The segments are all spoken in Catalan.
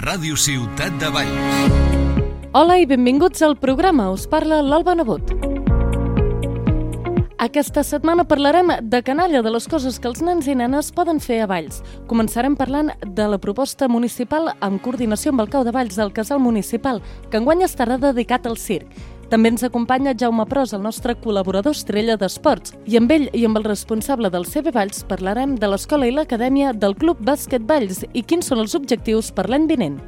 Ràdio Ciutat de Valls. Hola i benvinguts al programa. Us parla l'Alba Nebot. Aquesta setmana parlarem de canalla, de les coses que els nens i nenes poden fer a Valls. Començarem parlant de la proposta municipal en coordinació amb el Cau de Valls del Casal Municipal, que enguany estarà dedicat al circ. També ens acompanya Jaume Pros, el nostre col·laborador estrella d'esports. I amb ell i amb el responsable del CB Valls parlarem de l'escola i l'acadèmia del Club Bàsquet Valls i quins són els objectius per l'any vinent.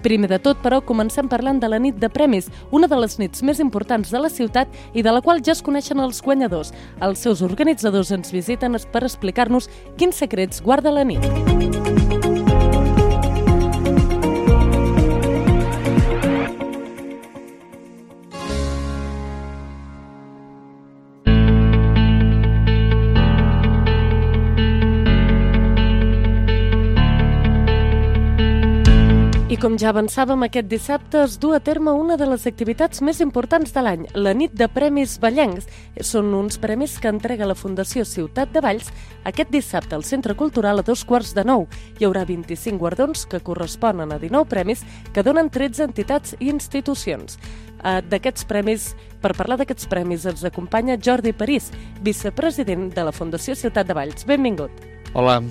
Primer de tot, però, comencem parlant de la nit de premis, una de les nits més importants de la ciutat i de la qual ja es coneixen els guanyadors. Els seus organitzadors ens visiten per explicar-nos quins secrets guarda la nit. I com ja avançàvem, aquest dissabte es du a terme una de les activitats més importants de l'any, la nit de premis vallencs. Són uns premis que entrega la Fundació Ciutat de Valls aquest dissabte al Centre Cultural a 8:45. Hi haurà 25 guardons que corresponen a 19 premis que donen 13 entitats i institucions. Per parlar d'aquests premis ens acompanya Jordi París, vicepresident de la Fundació Ciutat de Valls. Benvingut. Hola.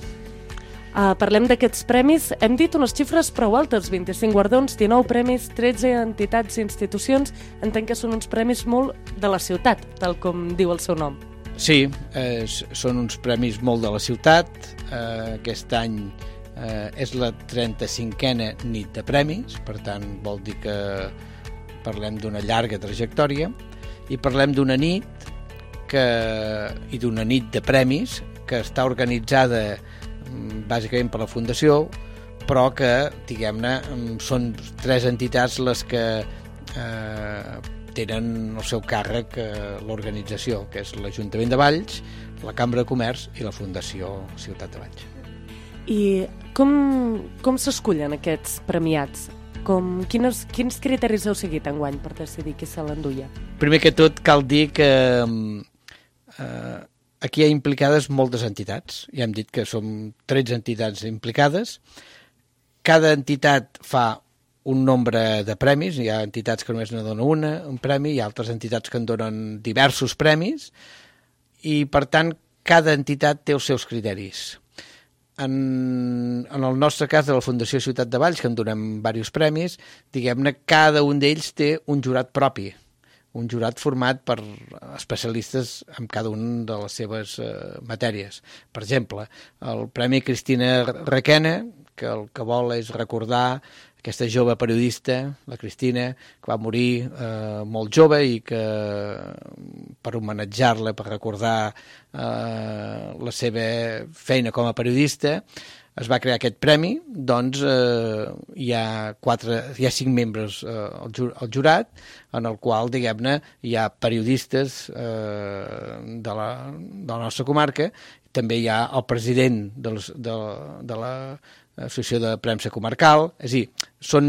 Parlem d'aquests premis. Hem dit unes xifres prou altes, 25 guardons, 19 premis, 13 entitats i institucions. Entenc que són uns premis molt de la ciutat, tal com diu el seu nom. Sí, són uns premis molt de la ciutat. Aquest any és la 35a nit de premis, per tant vol dir que parlem d'una llarga trajectòria i parlem d'una nit i d'una nit de premis que està organitzada bàsicament per la Fundació, però que, diguem-ne, són 3 entitats les que tenen el seu càrrec l'organització, que és l'Ajuntament de Valls, la Cambra de Comerç i la Fundació Ciutat de Valls. I com s'escullen aquests premiats? Quins criteris heu seguit enguany per decidir qui se l'enduia? Primer que tot cal dir que aquí hi ha implicades moltes entitats. Ja hem dit que som 13 entitats implicades. Cada entitat fa un nombre de premis. Hi ha entitats que només ne donen un premi, hi ha altres entitats que en donen diversos premis i, per tant, cada entitat té els seus criteris. En el nostre cas de la Fundació Ciutat de Valls, que en donem diversos premis, diguem-ne, cada un d'ells té un jurat propi, un jurat format per especialistes en cada una de les seves matèries. Per exemple, el Premi Cristina Requena, que el que vol és recordar aquesta jove periodista, la Cristina, que va morir molt jove i que per homenatjar-la, per recordar la seva feina com a periodista, es va crear aquest premi. Doncs hi ha 5 membres al jurat, en el qual, diguem-ne, hi ha periodistes de la nostra comarca, també hi ha el president de l'Associació de Premsa Comarcal, és a dir, són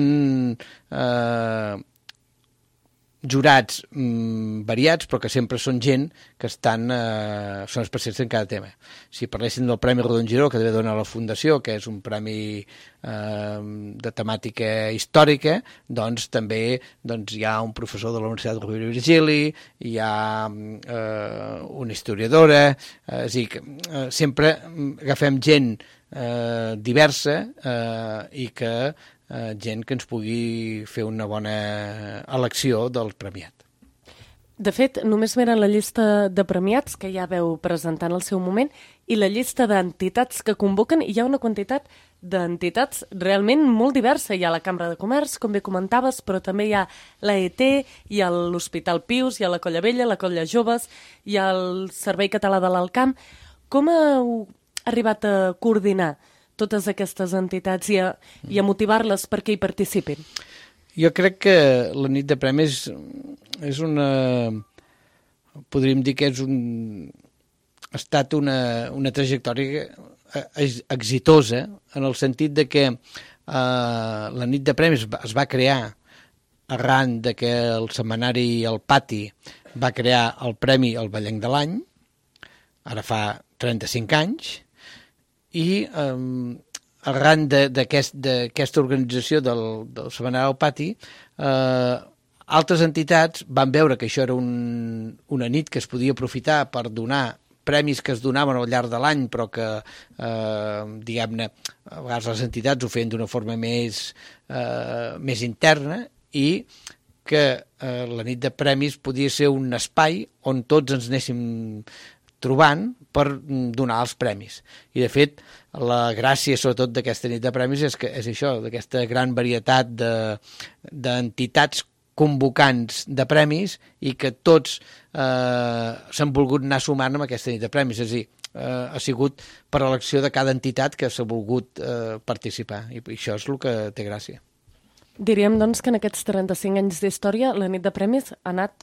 jurats variats, però que sempre són gent que són especialistes en cada tema. Si parléssim del Premi Rodon Giró, que també dona la Fundació, que és un premi de temàtica històrica, doncs també hi ha un professor de la Universitat Rovira i Virgili, hi ha una historiadora, és a dir, que sempre agafem gent diversa i que gent que ens pugui fer una bona elecció del premiat. De fet, només miren la llista de premiats que ja veu presentant al seu moment i la llista d'entitats que convoquen, i hi ha una quantitat d'entitats realment molt diversa. Hi ha la Cambra de Comerç, com bé comentaves, però també hi ha l'AET, hi ha l'Hospital Pius, hi ha la Colla Vella, la Colla Joves, hi ha el Servei Català de l'Alt Camp. Com heu arribat a coordinar totes aquestes entitats i a motivar-les perquè hi participin? Jo crec que la nit de premis és podríem dir que ha estat una trajectòria exitosa, en el sentit de que la nit de premis es va crear arran de que el setmanari El Pati va crear el Premi El Vallenc de l'Any, ara fa 35 anys, i arran d'aquesta organització del Setmanari al Pati, altres entitats van veure que això era una nit que es podia aprofitar per donar premis que es donaven al llarg de l'any, però que, diguem-ne, a vegades les entitats ho feien d'una forma més interna, i que la nit de premis podia ser un espai on tots ens anéssim trobant per donar els premis. I, de fet, la gràcia, sobretot, d'aquesta nit de premis és això, d'aquesta gran varietat d'entitats convocants de premis, i que tots s'han volgut anar sumant amb aquesta nit de premis. És a dir, ha sigut per elecció de cada entitat que s'ha volgut participar, i això és el que té gràcia. Diríem, doncs, que en aquests 35 anys d'història la nit de premis ha anat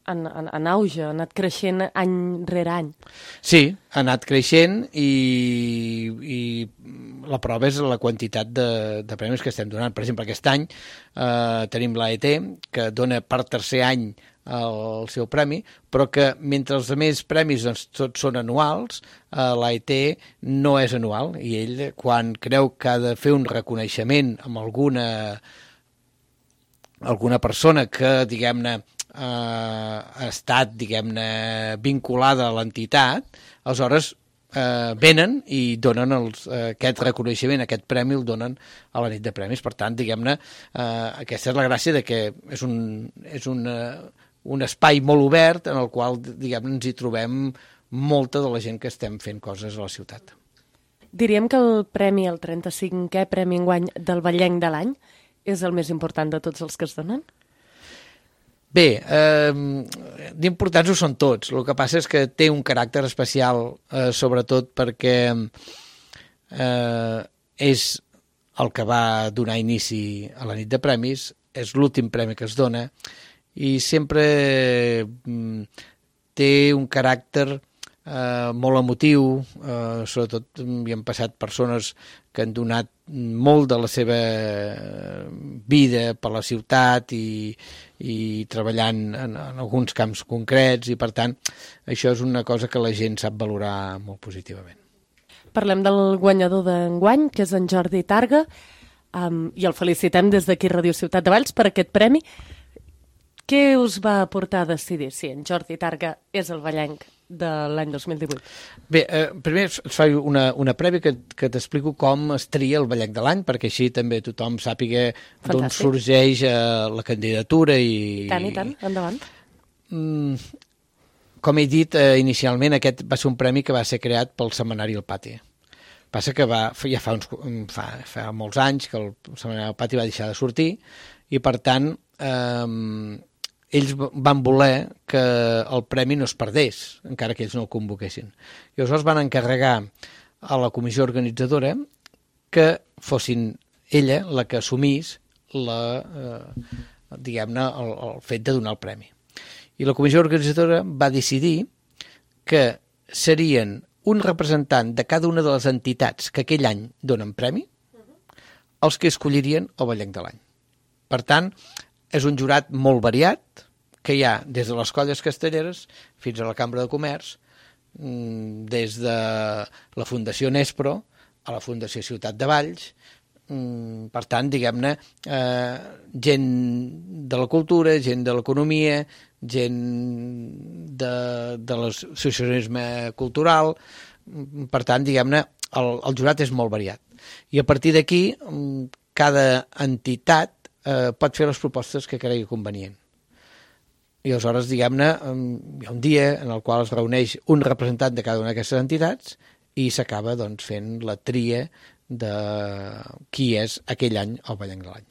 en auge, ha anat creixent any rere any. Sí, ha anat creixent, i la prova és la quantitat de premis que estem donant. Per exemple, aquest any tenim l'AET, que dona per tercer any el seu premi, però que mentre els altres premis doncs, tots són anuals, l'AET no és anual, i ell, quan creu que ha de fer un reconeixement amb alguna persona que, diguem-ne, ha estat, diguem-ne, vinculada a l'entitat, aleshores venen i donen aquest reconeixement, aquest premi el donen a la nit de premis. Per tant, diguem-ne, aquesta és la gràcia de que és un espai molt obert en el qual, diguem-ne, ens hi trobem molta de la gent que estem fent coses a la ciutat. Diríem que el premi, el 35è Premi enguany del Vallenc de l'any, és el més important de tots els que es donen? Bé, d'importants ho són tots. El que passa és que té un caràcter especial, sobretot perquè és el que va donar inici a la nit de premis, és l'últim premi que es dona, i sempre té un caràcter molt emotiu, sobretot hi han passat persones que han donat molt de la seva vida per la ciutat i treballant en alguns camps concrets, i per tant això és una cosa que la gent sap valorar molt positivament. Parlem del guanyador d'enguany, que és en Jordi Targa, i el felicitem des d'aquí Ràdio Ciutat de Valls per aquest premi. Què us va portar a decidir si en Jordi Targa és el vallenc de l'any 2018? Bé, primer es fa una prèvia que t'explico com es tria el vallenc de l'any, perquè així també tothom sàpiga d'on sorgeix la candidatura. I tant, endavant. Com he dit inicialment, aquest va ser un premi que va ser creat pel Setmanari al Pati. Passa que ja fa molts anys que el Setmanari al Pati va deixar de sortir, i per tant ells van voler que el premi no es perdés, encara que ells no el convoquessin. I aleshores van encarregar a la comissió organitzadora que fossin ella la que assumís diguem-ne, el fet de donar el premi. I la comissió organitzadora va decidir que serien un representant de cada una de les entitats que aquell any donen premi els que escollirien el vallenc de l'any. Per tant, és un jurat molt variat, que hi ha des de les colles castelleres fins a la Cambra de Comerç, des de la Fundació Nespro a la Fundació Ciutat de Valls. Per tant, diguem-ne, gent de la cultura, gent de l'economia, gent de l'associacionisme cultural. Per tant, diguem-ne, el jurat és molt variat. I a partir d'aquí, cada entitat pot fer les propostes que cregui convenient. I aleshores, diguem-ne, hi ha un dia en el qual es reuneix un representant de cada una d'aquestes entitats i s'acaba doncs, fent la tria de qui és aquell any el vallenc de l'any.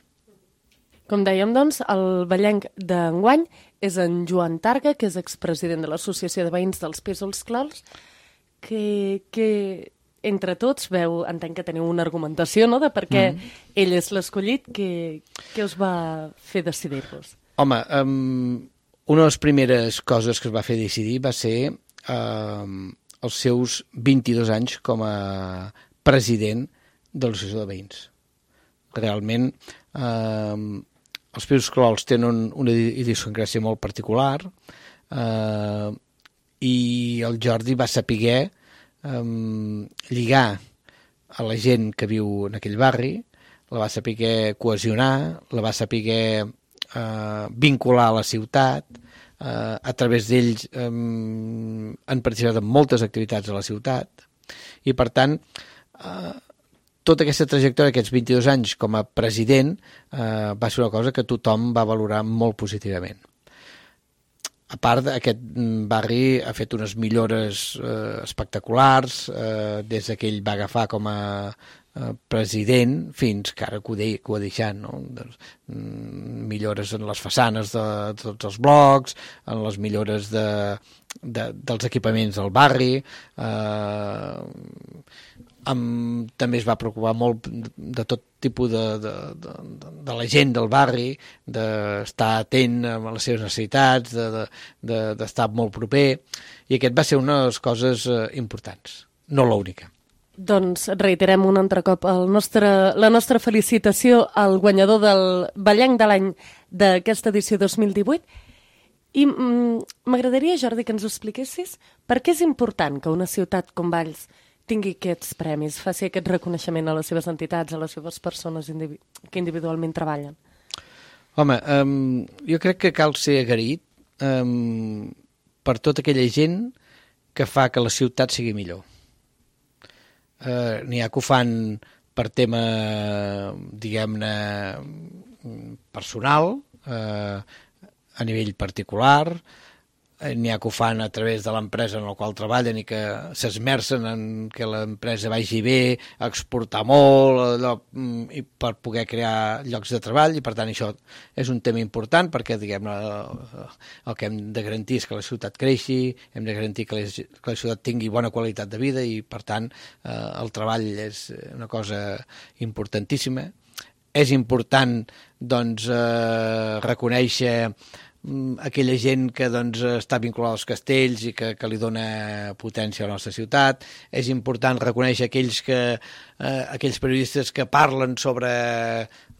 Com dèiem, doncs, el vallenc d'enguany és en Joan Targa, que és expresident de l'Associació de Veïns dels Pisos Clols, que entre tots entenc que teniu una argumentació, no?, de per què ell és l'escollit. Què us va fer decidir-vos? Home, una de les primeres coses que es va fer decidir va ser els seus 22 anys com a president de l'Associació de Veïns. Realment, els Pisos Clols tenen una idiosincràsia molt particular, i el Jordi va saber lligar a la gent que viu en aquell barri, la va saber cohesionar, la va saber vincular a la ciutat, a través d'ells han participat en moltes activitats a la ciutat, i per tant tota aquesta trajectòria, aquests 22 anys com a president, va ser una cosa que tothom va valorar molt positivament. A part, aquest barri ha fet unes millores espectaculars des que ell va agafar com a president fins que ara que ho ha deixat, no? Millores en les façanes de tots els blocs, en les millores dels equipaments del barri, també es va preocupar molt de tot tipus de la gent del barri, d'estar atent a les seves necessitats, d'estar molt proper, i aquest va ser una de les coses importants, no l'única. Doncs reiterem un altre cop la nostra felicitació al guanyador del Ballenc de l'any d'aquesta edició 2018. I m'agradaria, Jordi, que ens ho expliquessis per què és important que una ciutat com Valls tingui aquests premis, faci aquest reconeixement a les seves entitats, a les seves persones que individualment treballen. Home, jo crec que cal ser agraït per tota aquella gent que fa que la ciutat sigui millor. N'hi ha que ho fan per tema, diguem-ne, personal, a nivell particular, n'hi ha que ho fan a través de l'empresa en la qual treballen i que s'esmercen en que l'empresa vagi bé, a exportar molt, i per poder crear llocs de treball, i per tant això és un tema important perquè, diguem-ne, el que hem de garantir és que la ciutat creixi, hem de garantir que la ciutat tingui bona qualitat de vida, i per tant el treball és una cosa importantíssima. És important, doncs, reconèixer aquella gent que doncs, està vinculada als castells i que li dona potència a la nostra ciutat. És important reconèixer aquells periodistes que parlen sobre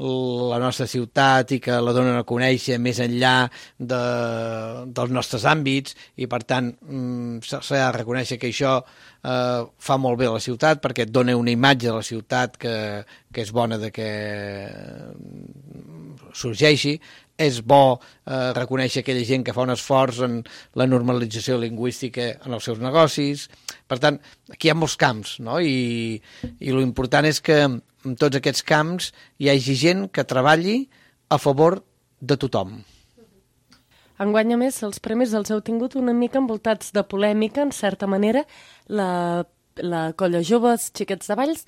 la nostra ciutat i que la donen a conèixer més enllà dels nostres àmbits, i per tant s'ha de reconèixer que això fa molt bé a la ciutat perquè et dona una imatge de la ciutat que és bona de que sorgeixi. És bo reconèixer aquella gent que fa un esforç en la normalització lingüística en els seus negocis. Per tant, aquí hi ha molts camps, no? I l'important és que en tots aquests camps hi hagi gent que treballi a favor de tothom. Enguany, a més, els premis els heu tingut una mica envoltats de polèmica, en certa manera. La Colla Joves Xiquets de Valls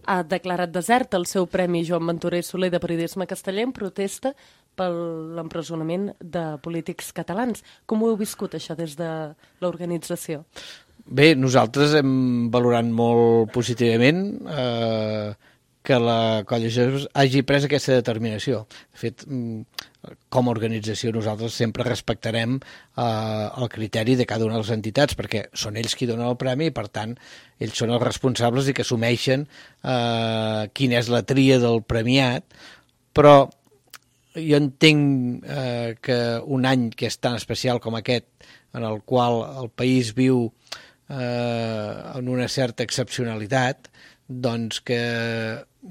ha declarat desert el seu Premi Joan Ventura i Soler de Periodisme Casteller en protesta per l'empresonament de polítics catalans. Com ho heu viscut, això, des de l'organització? Bé, nosaltres hem valorat molt positivament que la Colla Joves hagi pres aquesta determinació. De fet, com a organització nosaltres sempre respectarem el criteri de cada una de les entitats, perquè són ells qui donen el premi i, per tant, ells són els responsables i que assumeixen quina és la tria del premiat, però jo entenc que un any que és tan especial com aquest, en el qual el país viu en una certa excepcionalitat, doncs que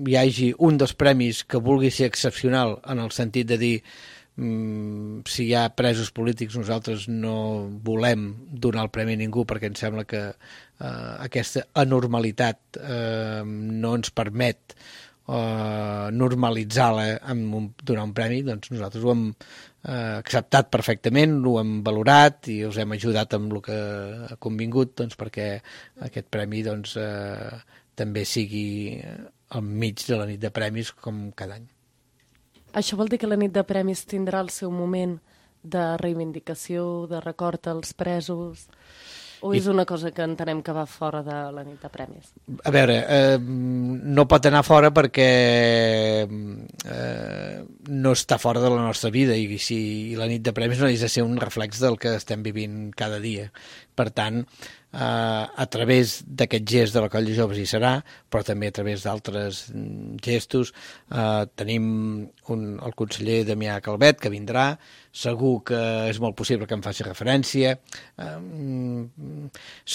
hi hagi un dels premis que vulgui ser excepcional en el sentit de dir si hi ha presos polítics nosaltres no volem donar el premi a ningú perquè ens sembla que aquesta anormalitat no ens permet normalitzar-la amb donar un premi, doncs nosaltres ho hem acceptat perfectament, ho hem valorat i us hem ajudat amb el que ha convingut, doncs, perquè aquest premi doncs, també sigui al mig de la nit de premis com cada any. Això vol dir que la nit de premis tindrà el seu moment de reivindicació, de record als presos, o és una cosa que entenem que va fora de la nit de premis? A veure, no pot anar fora perquè no està fora de la nostra vida i la nit de premis no ha de ser un reflex del que estem vivint cada dia. Per tant, a través d'aquest gest de la Colla de Joves hi serà, però també a través d'altres gestos. Tenim el conseller Damià Calvet, que vindrà, segur que és molt possible que em faci referència,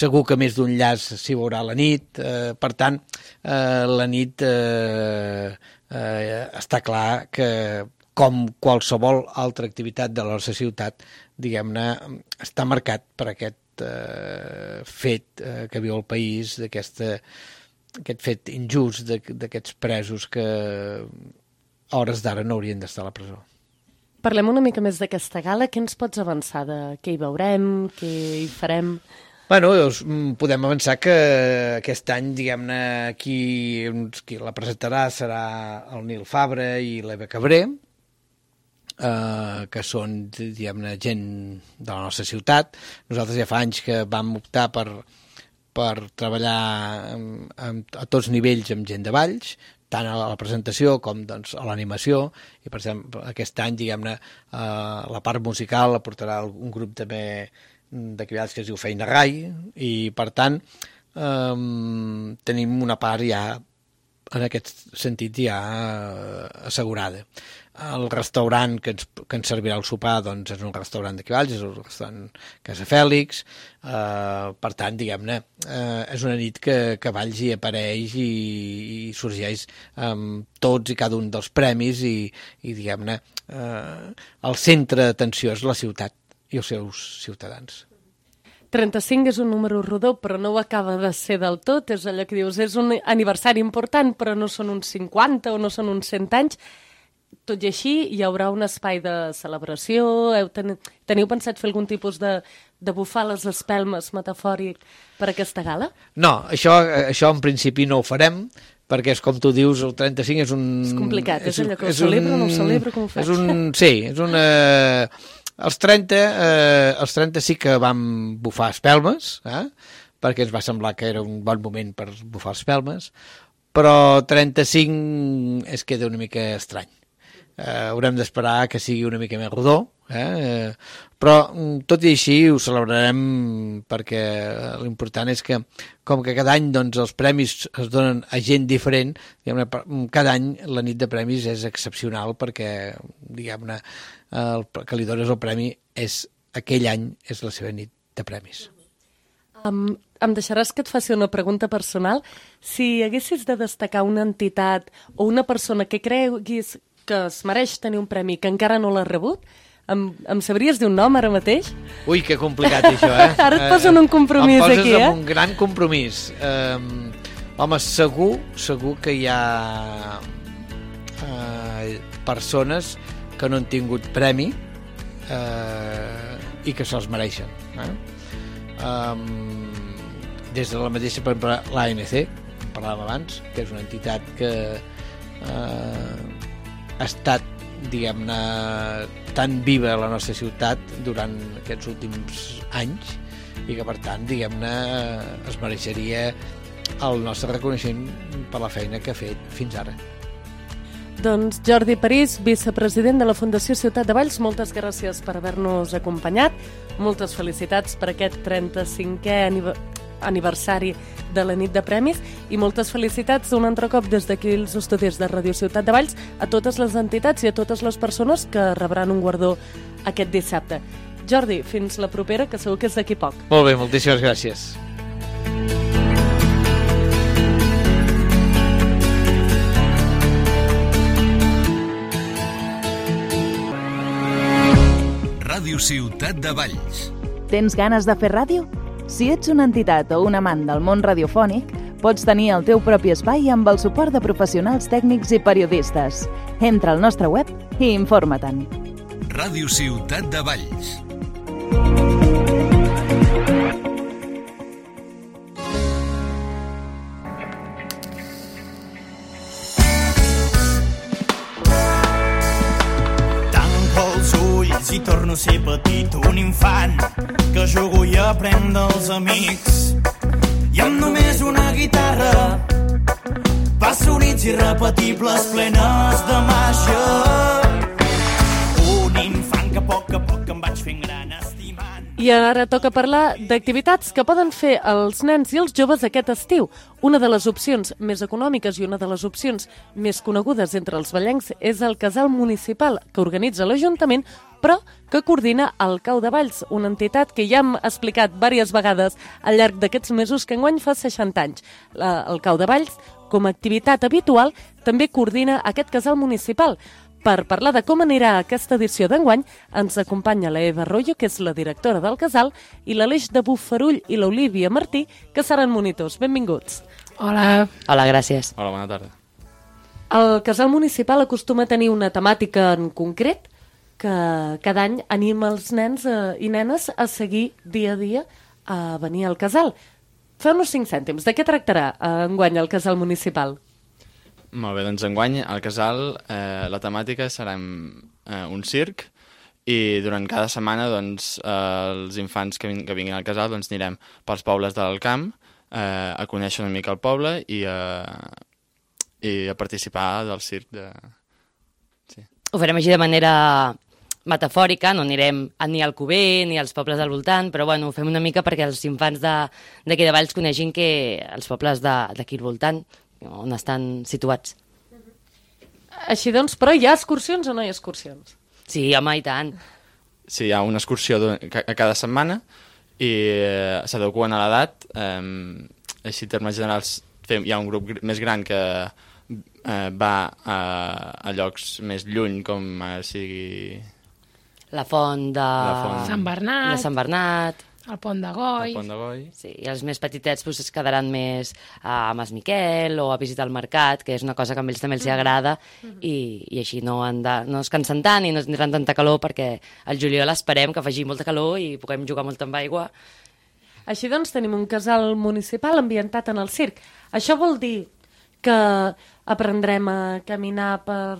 segur que més d'un llaç s'hi veurà a la nit, per tant, la nit està clar que, com qualsevol altra activitat de la nostra ciutat, diguem-ne, està marcat per aquest fet que viu el país, aquest fet injust d'aquests presos que a hores d'ara no haurien d'estar a la presó. Parlem una mica més d'aquesta gala. Què ens pots avançar de què hi veurem, què hi farem? Bueno, podem avançar que aquest any, diguem-ne, qui la presentarà serà el Nil Fabra i l'Eva Cabré, que són, diguem-ne, gent de la nostra ciutat. Nosaltres ja fa anys que vam optar per treballar a tots nivells amb gent de Valls, tant a la presentació com doncs, a l'animació, i per exemple aquest any, diguem-ne, la part musical la portarà un grup també d'aquí Valls que es diu Feina Rai, i per tant tenim una part ja en aquest sentit ja assegurada. El restaurant que ens servirà el sopar doncs, és un restaurant d'aquí Valls, és un restaurant Casa Fèlix, per tant, diguem-ne, és una nit que Valls hi apareix i sorgeix amb tots i cada un dels premis i diguem-ne, el centre d'atenció és la ciutat i els seus ciutadans. 35 és un número rodó, però no ho acaba de ser del tot. És allò que dius, és un aniversari important, però no són uns 50 o no són uns 100 anys. Tot i així, hi haurà un espai de celebració? Teniu pensat fer algun tipus de bufar les espelmes metafòric per aquesta gala? No, això en principi no ho farem, perquè és com tu dius, el 35 és un... És complicat, és allò que ho celebro o no ho celebro, com ho faig? És una... Els 30 sí que vam bufar espelmes, perquè ens va semblar que era un bon moment per bufar espelmes, però 35 es queda una mica estrany. Haurem d'esperar que sigui una mica més rodó, però tot i així ho celebrarem, perquè l'important és que, com que cada any doncs, els premis es donen a gent diferent, cada any la nit de premis és excepcional, perquè diguem-ne, el que li dones el premi és aquell any és la seva nit de premis. Em deixaràs que et faci una pregunta personal? Si haguessis de destacar una entitat o una persona que creguis que es mereix tenir un premi que encara no l'ha rebut, em sabries dir un nom ara mateix? Ui, que complicat això, Ara et poso en un compromís aquí, Em poses en un gran compromís. Home, segur que hi ha persones que no han tingut premi i que se'ls mereixen. Des de la mateixa, per exemple, l'ANC, que parlàvem abans, que és una entitat que ha estat, diguem-ne, tan viva a la nostra ciutat durant aquests últims anys i que, per tant, diguem-ne, es mereixeria el nostre reconeixement per la feina que ha fet fins ara. Doncs Jordi París, vicepresident de la Fundació Ciutat de Valls, moltes gràcies per haver-nos acompanyat. Moltes felicitats per aquest 35è aniversari de la nit de premis i moltes felicitats un altre cop des d'aquí els estudis de Ràdio Ciutat de Valls a totes les entitats i a totes les persones que rebran un guardó aquest dissabte. Jordi, fins la propera, que segur que és d'aquí poc. Molt bé, moltíssimes gràcies. Ràdio Ciutat de Valls. Tens ganes de fer ràdio? Si ets una entitat o un amant del món radiofònic, pots tenir el teu propi espai amb el suport de professionals tècnics i periodistes. Entra al nostre web i informa-te'n. Ràdio Ciutat de Valls. Si torno a ser petit, un infant que jugo i aprenc dels amics i amb només una guitarra passo nits irrepetibles plenes de màgia. Un infant que a poc em vaig fent gran estimant. I ara toca parlar d'activitats que poden fer els nens i els joves aquest estiu. Una de les opcions més econòmiques i una de les opcions més conegudes entre els vallencs és el casal municipal que organitza l'Ajuntament, però que coordina el Cau de Valls, una entitat que ja hem explicat diverses vegades al llarg d'aquests mesos que enguany fa 60 anys. El Cau de Valls, com a activitat habitual, també coordina aquest casal municipal. Per parlar de com anirà aquesta edició d'enguany, ens acompanya la Eva Arroyo, que és la directora del casal, i l'Aleix de Bofarull i l'Olívia Martí, que seran monitors. Benvinguts. Hola. Hola, gràcies. Hola, bona tarda. El casal municipal acostuma a tenir una temàtica en concret que cada any anima els nens i nenes a seguir dia a dia a venir al casal. Feu-nos 5 cèntims. De què tractarà enguany el casal municipal? Molt bé, doncs enguany al casal la temàtica serà un circ i durant cada setmana doncs, els infants que vinguin al casal doncs, anirem pels pobles de l'Alcamp a conèixer una mica el poble i a participar del circ. Sí. Ho farem així de manera metafòrica, no anirem ni al Cuber ni als pobles del voltant, però bueno, ho fem una mica perquè els infants d'aquí de Valls coneixin que els pobles d'aquí al voltant on estan situats. Així doncs, però hi ha excursions o no hi ha excursions? Sí, home, i tant. Sí, hi ha una excursió a cada setmana i s'adequen a l'edat. Així, en termes generals, hi ha un grup més gran que va a llocs més lluny, com sigui... La font de... Sant Bernat. De Sant Bernat. El Pont de Goi. El Pont de Goi. Sí, i els més petitets es quedaran més a Mas Miquel o a visitar el mercat, que és una cosa que a ells també els agrada, i així no es cansen tant i no tindran tanta calor, perquè al juliol esperem que faci molta calor i puguem jugar molt amb aigua. Així doncs tenim un casal municipal ambientat en el circ. Això vol dir que aprendrem a caminar per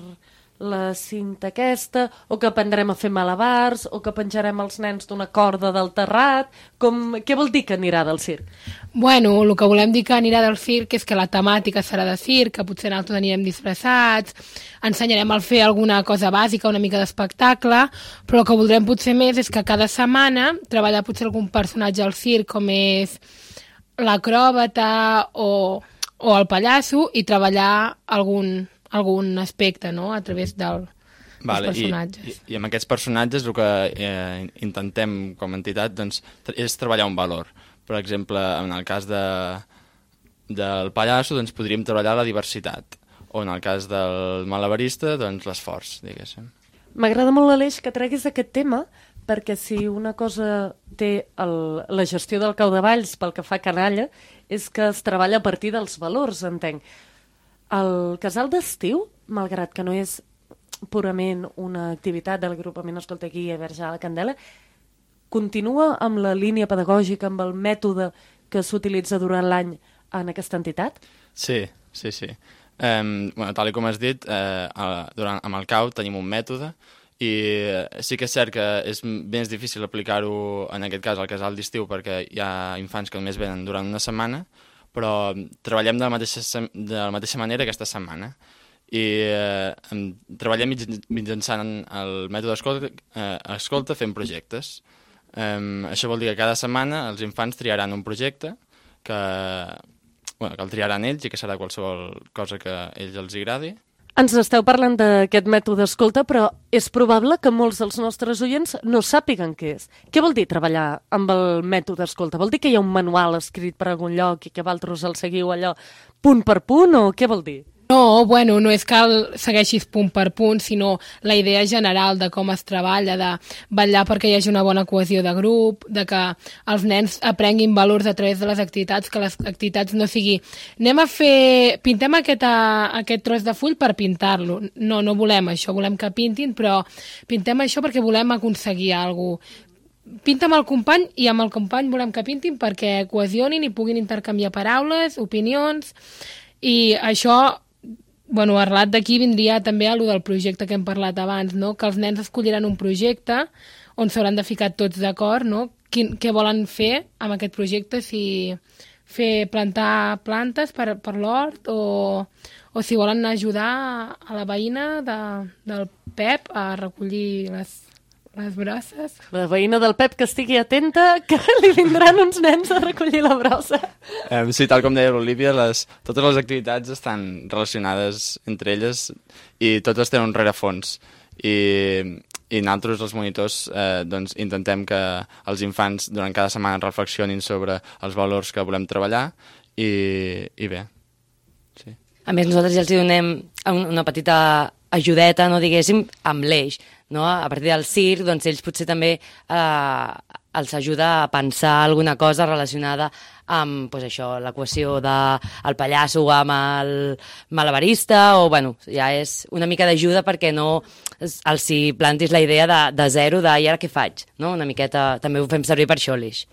la cinta aquesta, o que aprendrem a fer malabars, o que penjarem els nens d'una corda del terrat. Què vol dir que anirà del circ? Bueno, el que volem dir que anirà del circ és que la temàtica serà de circ, que potser nosaltres anirem disfressats, ensenyarem a fer alguna cosa bàsica, una mica d'espectacle, però el que voldrem potser més és que cada setmana treballar potser algun personatge al circ, com és l'acròbata o el pallasso, i treballar algun aspecte, no?, a través dels personatges. I amb aquests personatges el que intentem com a entitat doncs, és treballar un valor. Per exemple, en el cas del pallasso doncs, podríem treballar la diversitat, o en el cas del malabarista doncs, l'esforç, diguéssim. M'agrada molt, Aleix, que treguis aquest tema, perquè si una cosa té la gestió del Cau de Valls pel que fa a canalla, és que es treballa a partir dels valors, entenc. El casal d'estiu, malgrat que no és purament una activitat de l'agrupament Escolta Aquí a Verge a la Candela, continua amb la línia pedagògica, amb el mètode que s'utilitza durant l'any en aquesta entitat? Sí. Tal com has dit, amb el CAU tenim un mètode i sí que és cert que és més difícil aplicar-ho en aquest cas al casal d'estiu perquè hi ha infants que només venen durant una setmana, però treballem de la mateixa manera aquesta setmana i treballem mitjançant el mètode escolta fent projectes. Això vol dir que cada setmana els infants triaran un projecte que el triaran ells i que serà qualsevol cosa que a ells els agradi. Ens esteu parlant d'aquest mètode escolta, però és probable que molts dels nostres oients no sàpiguen què és. Què vol dir treballar amb el mètode escolta? Vol dir que hi ha un manual escrit per algun lloc i que vosaltres el seguiu allò punt per punt, o què vol dir? No, bueno, no és que el segueixis punt per punt, sinó la idea general de com es treballa, de vetllar perquè hi hagi una bona cohesió de grup, de que els nens aprenguin valors a través de les activitats, que les activitats no sigui pintem aquest tros de full per pintar-lo. No volem això, volem que pintin, però pintem això perquè volem aconseguir alguna cosa. Pinta amb el company i amb el company volem que pintin perquè cohesionin i puguin intercanviar paraules, opinions, i això... Bueno, arrelat d'aquí vindria també a lo del projecte que hem parlat abans, no? Que els nens escolliran un projecte on s'hauran de ficar tots d'acord, no? Què volen fer amb aquest projecte, si plantar plantes per l'hort o si volen ajudar a la veïna del Pep a recollir les brosses. La veïna del Pep que estigui atenta, que li vindran uns nens a recollir la brossa. Sí, tal com deia l'Olívia, totes les activitats estan relacionades entre elles i totes tenen un rerefons. I nosaltres, els monitors, doncs, intentem que els infants durant cada setmana reflexionin sobre els valors que volem treballar i bé. Sí. A més, nosaltres ja els donem una petita ajudeta, no diguéssim, amb l'eix. No? A partir del circ, doncs ells potser també els ajuda a pensar alguna cosa relacionada amb pues, això, l'equació del pallasso amb el malabarista, o bueno, ja és una mica d'ajuda perquè no els hi plantis la idea de zero de i ara què faig? No? Una miqueta també ho fem servir per això l'eix.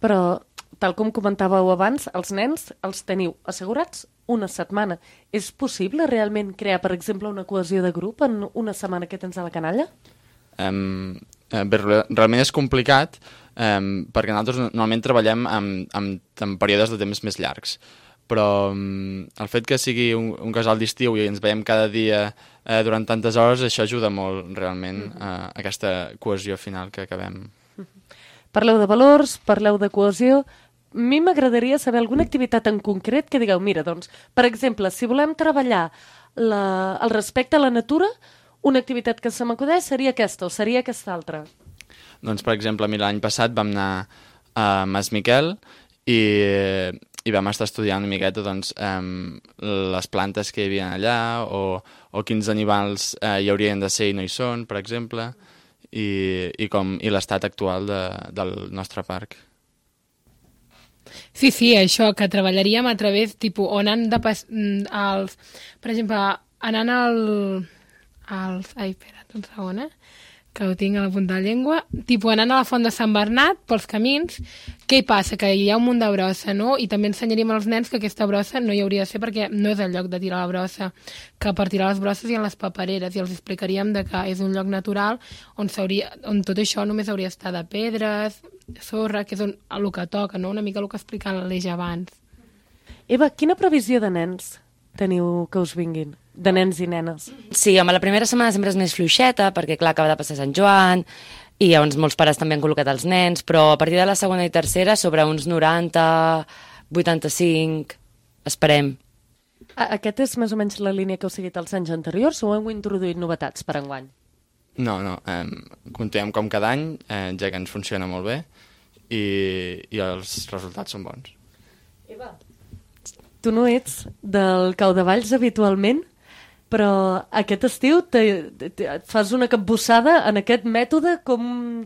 Però, tal com comentàveu abans, els nens els teniu assegurats una setmana. És possible realment crear, per exemple, una cohesió de grup en una setmana que tens a la canalla? Realment és complicat perquè nosaltres normalment treballem en períodes de temps més llargs, però el fet que sigui un casal d'estiu i ens veiem cada dia durant tantes hores, això ajuda molt realment a aquesta cohesió final que acabem. Parleu de valors, parleu de cohesió. A mi m'agradaria saber alguna activitat en concret que digueu, mira, doncs, per exemple, si volem treballar el respecte a la natura, una activitat que se m'acudeix seria aquesta o seria aquesta altra. Doncs, per exemple, l'any passat vam anar a Mas Miquel i vam estar estudiant una miqueta doncs, les plantes que hi havia allà o quins animals hi haurien de ser i no hi són, per exemple, i l'estat actual del nostre parc. Sí, això, que treballaríem a través, tipus, on han de per exemple, anant ai, espera't un segon, que ho tinc a la punta de la llengua, tipus, anant a la font de Sant Bernat, pels camins, què hi passa? Que hi ha un munt de brossa, no? I també ensenyaríem als nens que aquesta brossa no hi hauria de ser perquè no és el lloc de tirar la brossa, que per tirar les brosses hi ha les papereres, i els explicaríem que és un lloc natural on tot això només hauria d'estar de pedres, sorra, que és el que toca, no? Una mica el que explicava l'Eix abans. Eva, quina previsió de nens teniu que us vinguin? De nens i nenes? Sí, home, la primera setmana sempre és més fluixeta, perquè clar, acaba de passar Sant Joan, i llavors molts pares també han col·locat els nens, però a partir de la segona i tercera, sobre uns 90, 85, esperem. Aquest és més o menys la línia que heu seguit els anys anteriors o heu introduït novetats per enguany? No, continuem com cada any, ja que ens funciona molt bé i els resultats són bons. Eva, tu no ets del Cau de Valls habitualment, però aquest estiu fas una capbussada en aquest mètode. Com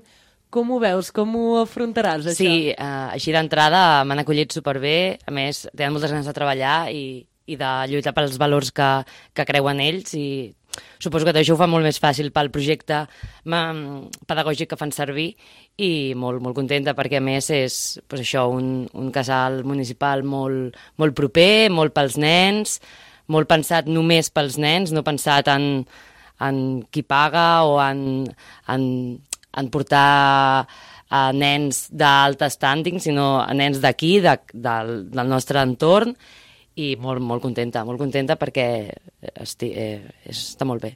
ho veus? Com ho afrontaràs, això? Sí, així d'entrada m'han acollit superbé, a més tenen moltes ganes de treballar i de lluitar pels valors que creuen ells, i suposo que això ho fa molt més fàcil pel projecte pedagògic que fan servir, i molt, molt contenta perquè a més és pues això, un casal municipal molt, molt proper, molt pels nens, molt pensat només pels nens, no pensat en qui paga o en portar a nens d'alt standing, sinó a nens d'aquí, del nostre entorn, i molt, molt contenta perquè està molt bé.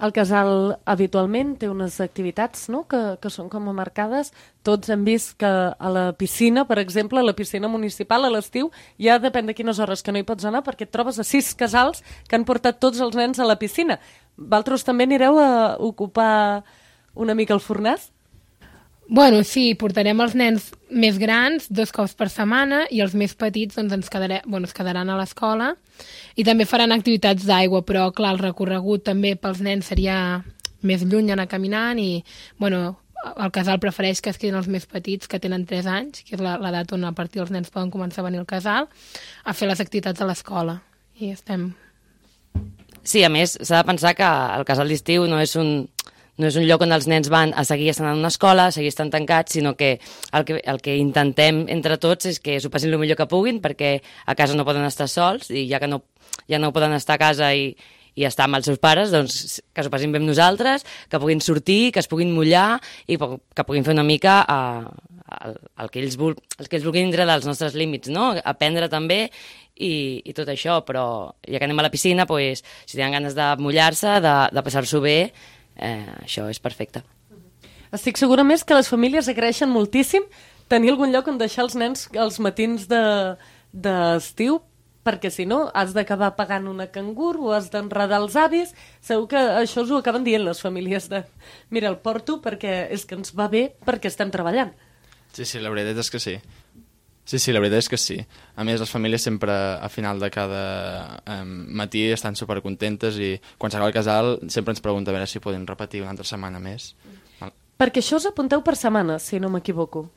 El casal habitualment té unes activitats, no?, que són com a marcades. Tots hem vist que a la piscina, per exemple, a la piscina municipal a l'estiu, ja depèn de quines hores que no hi pots anar, perquè et trobes a 6 casals que han portat tots els nens a la piscina. Vosaltres també anireu a ocupar una mica el fornàs? Bueno, sí, portarem els nens més grans 2 cops per setmana i els més petits doncs, es quedaran a l'escola, i també faran activitats d'aigua, però clar, el recorregut també pels nens seria més lluny anar caminant, i bueno, el casal prefereix que es quedin els més petits, que tenen 3 anys, que és l'edat on a partir dels nens poden començar a venir al casal, a fer les activitats a l'escola, i estem... Sí, a més, s'ha de pensar que el casal d'estiu no és un lloc on els nens van a seguir estant en una escola, a seguir estant tancats, sinó que el que intentem entre tots és que s'ho passin el millor que puguin, perquè a casa no poden estar sols, i ja no poden estar a casa i estar amb els seus pares, doncs que s'ho passin bé amb nosaltres, que puguin sortir, que es puguin mullar i que puguin fer una mica el que ells vulguin dintre dels nostres límits, no? Aprendre també i tot això, però ja que anem a la piscina, doncs, si tenen ganes de mullar-se, de passar-s'ho bé, això és perfecte. Estic segura més que les famílies agraeixen moltíssim tenir algun lloc on deixar els nens els matins d'estiu, perquè si no has d'acabar pagant una cangur o has d'enredar els avis. Segur que això us ho acaben dient les famílies de mira, el porto perquè és que ens va bé perquè estem treballant. Sí, la veritat és que sí. Sí, la veritat és que sí. A més, les famílies sempre, a final de cada matí, estan supercontentes i quan s'acaba el casal sempre ens pregunta a veure si podem repetir una altra setmana més. Perquè això us apunteu per setmana, si no m'equivoco.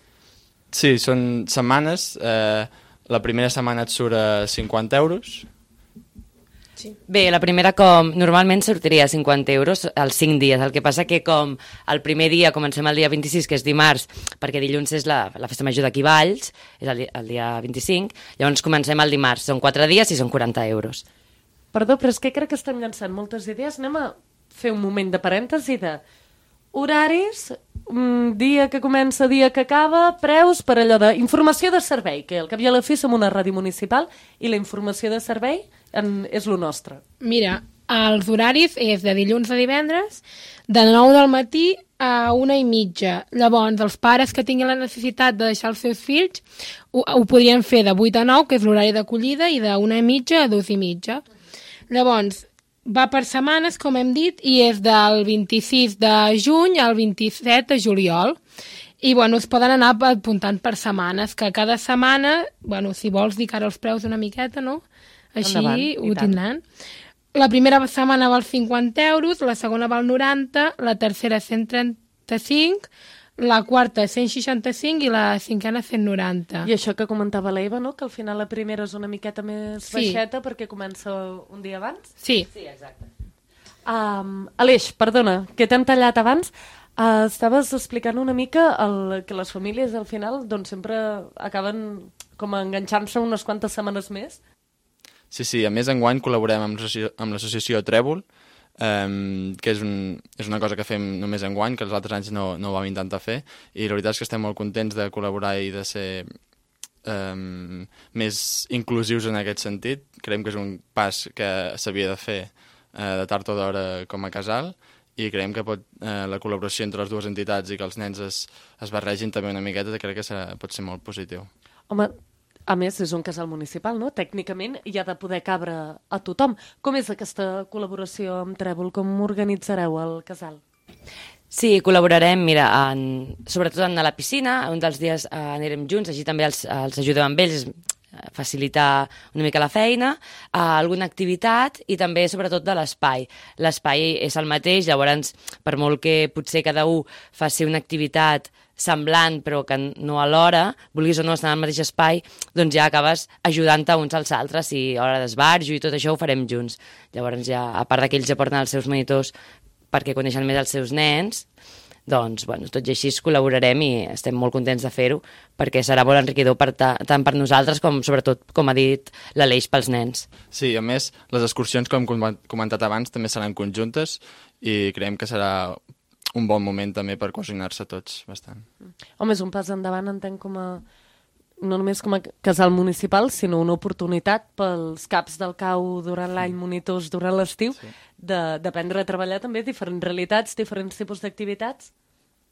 Sí, són setmanes. La primera setmana et surt a 50 euros. Sí. Bé, la primera normalment sortiria a 50 euros als 5 dies, el que passa que com el primer dia comencem el dia 26, que és dimarts, perquè dilluns és la festa major d'aquí Valls, és el dia 25, llavors comencem el dimarts, són 4 dies i són 40 euros. Perdó, però és que crec que estem llançant moltes idees. Anem a fer un moment de parèntesi de horaris, dia que comença, dia que acaba, preus per allò d'informació de servei, que al cap i a la fi som una ràdio municipal i la informació de servei és lo nostre. Mira, els horaris és de dilluns a divendres, de 9 del matí a 1:30. Llavors, els pares que tinguin la necessitat de deixar els seus fills ho podrien fer de 8 a 9, que és l'horari d'acollida, i de 1:30 a 2:30. Llavors, va per setmanes, com hem dit, i és del 26 de juny al 27 de juliol. I, bueno, es poden anar apuntant per setmanes, que cada setmana, bueno, si vols dir que ara els preus una miqueta, no? Així endavant, ho tindran. La primera setmana val 50 euros, la segona val 90, la tercera 135, la quarta 165 i la cinquena 190. I això que comentava l'Eva, no? Que al final la primera és una miqueta més baixeta perquè comença un dia abans? Sí. Sí, exacte. Aleix, perdona, que t'hem tallat abans. Estaves explicant una mica que les famílies al final doncs, sempre acaben com enganxant-se unes quantes setmanes més. Sí, a més enguany col·laborem amb l'associació Trèvol, que és una cosa que fem només enguany, que els altres anys no ho vam intentar fer, i la veritat és que estem molt contents de col·laborar i de ser més inclusius en aquest sentit. Creiem que és un pas que s'havia de fer de tard o d'hora com a casal, i creiem que la col·laboració entre les dues entitats i que els nens es barregin també una miqueta, crec que pot ser molt positiu. Home, a més, és un casal municipal, no? Tècnicament hi ha de poder cabre a tothom. Com és aquesta col·laboració amb Trèvol? Com organitzareu el casal? Sí, col·laborarem, mira, sobretot a la piscina, un dels dies anirem junts, així també els ajudem amb ells, facilitar una mica la feina, alguna activitat i també sobretot de l'espai. L'espai és el mateix, llavors per molt que potser cada un faci una activitat semblant però que no alhora, vulguis o no estar en el mateix espai, doncs ja acabes ajudant-te uns als altres i a l'hora d'esbarjo i tot això ho farem junts. Llavors ja, a part que ells ja porten els seus monitors perquè coneixen més els seus nens, doncs, bueno, tot i així col·laborarem i estem molt contents de fer-ho perquè serà molt enriquidor tant per nosaltres com, sobretot, com ha dit l'Aleix, pels nens. Sí, a més, les excursions, com hem comentat abans, també seran conjuntes i creiem que serà un bon moment també per coordinar-se tots bastant. Home, és un pas endavant, entenc, no només com a casal municipal, sinó una oportunitat pels caps del CAU durant l'any, monitors durant l'estiu, d'aprendre a treballar també diferents realitats, diferents tipus d'activitats.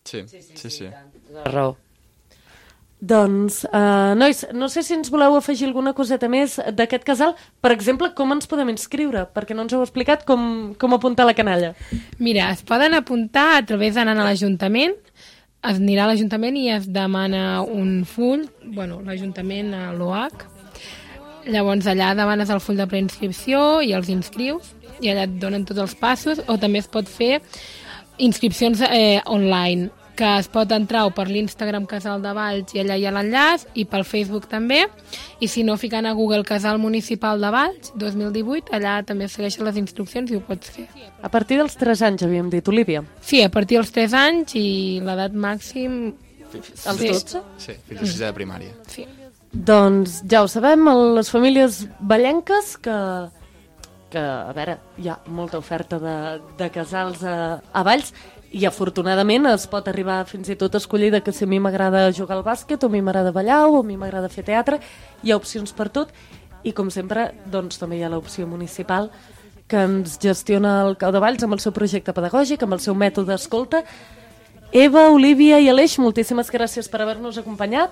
Sí. Tota raó. Doncs, nois, no sé si ens voleu afegir alguna coseta més d'aquest casal. Per exemple, com ens podem inscriure? Perquè no ens heu explicat com apuntar la canalla. Mira, es poden apuntar a través d'anant a l'Ajuntament. Es anirà a l'Ajuntament i es demana un full, l'Ajuntament a l'OH. Llavors allà demanes el full de preinscripció i els inscrius i allà et donen tots els passos, o també es pot fer inscripcions online, que es pot entrar o per l'Instagram Casal de Valls i allà hi ha l'enllaç, i pel Facebook també, i si no, ficant a Google Casal Municipal de Valls 2018, allà també segueixen les instruccions i ho pots fer. A partir dels 3 anys, havíem dit, Olívia? Sí, a partir dels 3 anys i l'edat màxim... Els 12? Sí, fins a 6 de primària. Sí. Doncs ja ho sabem, les famílies vallenques que a veure, hi ha molta oferta de casals a Valls, i afortunadament es pot arribar fins i tot a escollir que si a mi m'agrada jugar al bàsquet, o a mi m'agrada ballar, o a mi m'agrada fer teatre, hi ha opcions per tot, i com sempre doncs també hi ha l'opció municipal que ens gestiona el CAU de Valls amb el seu projecte pedagògic, amb el seu mètode d'escolta, Eva, Olívia i Aleix, moltíssimes gràcies per haver-nos acompanyat.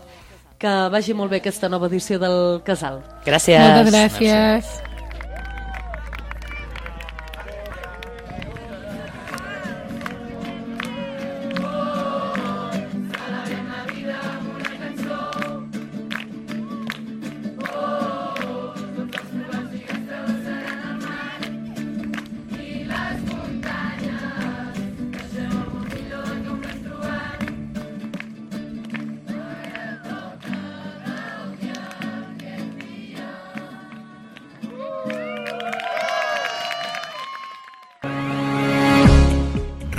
Que vagi molt bé aquesta nova edició del Casal. Gràcies. Moltes gràcies.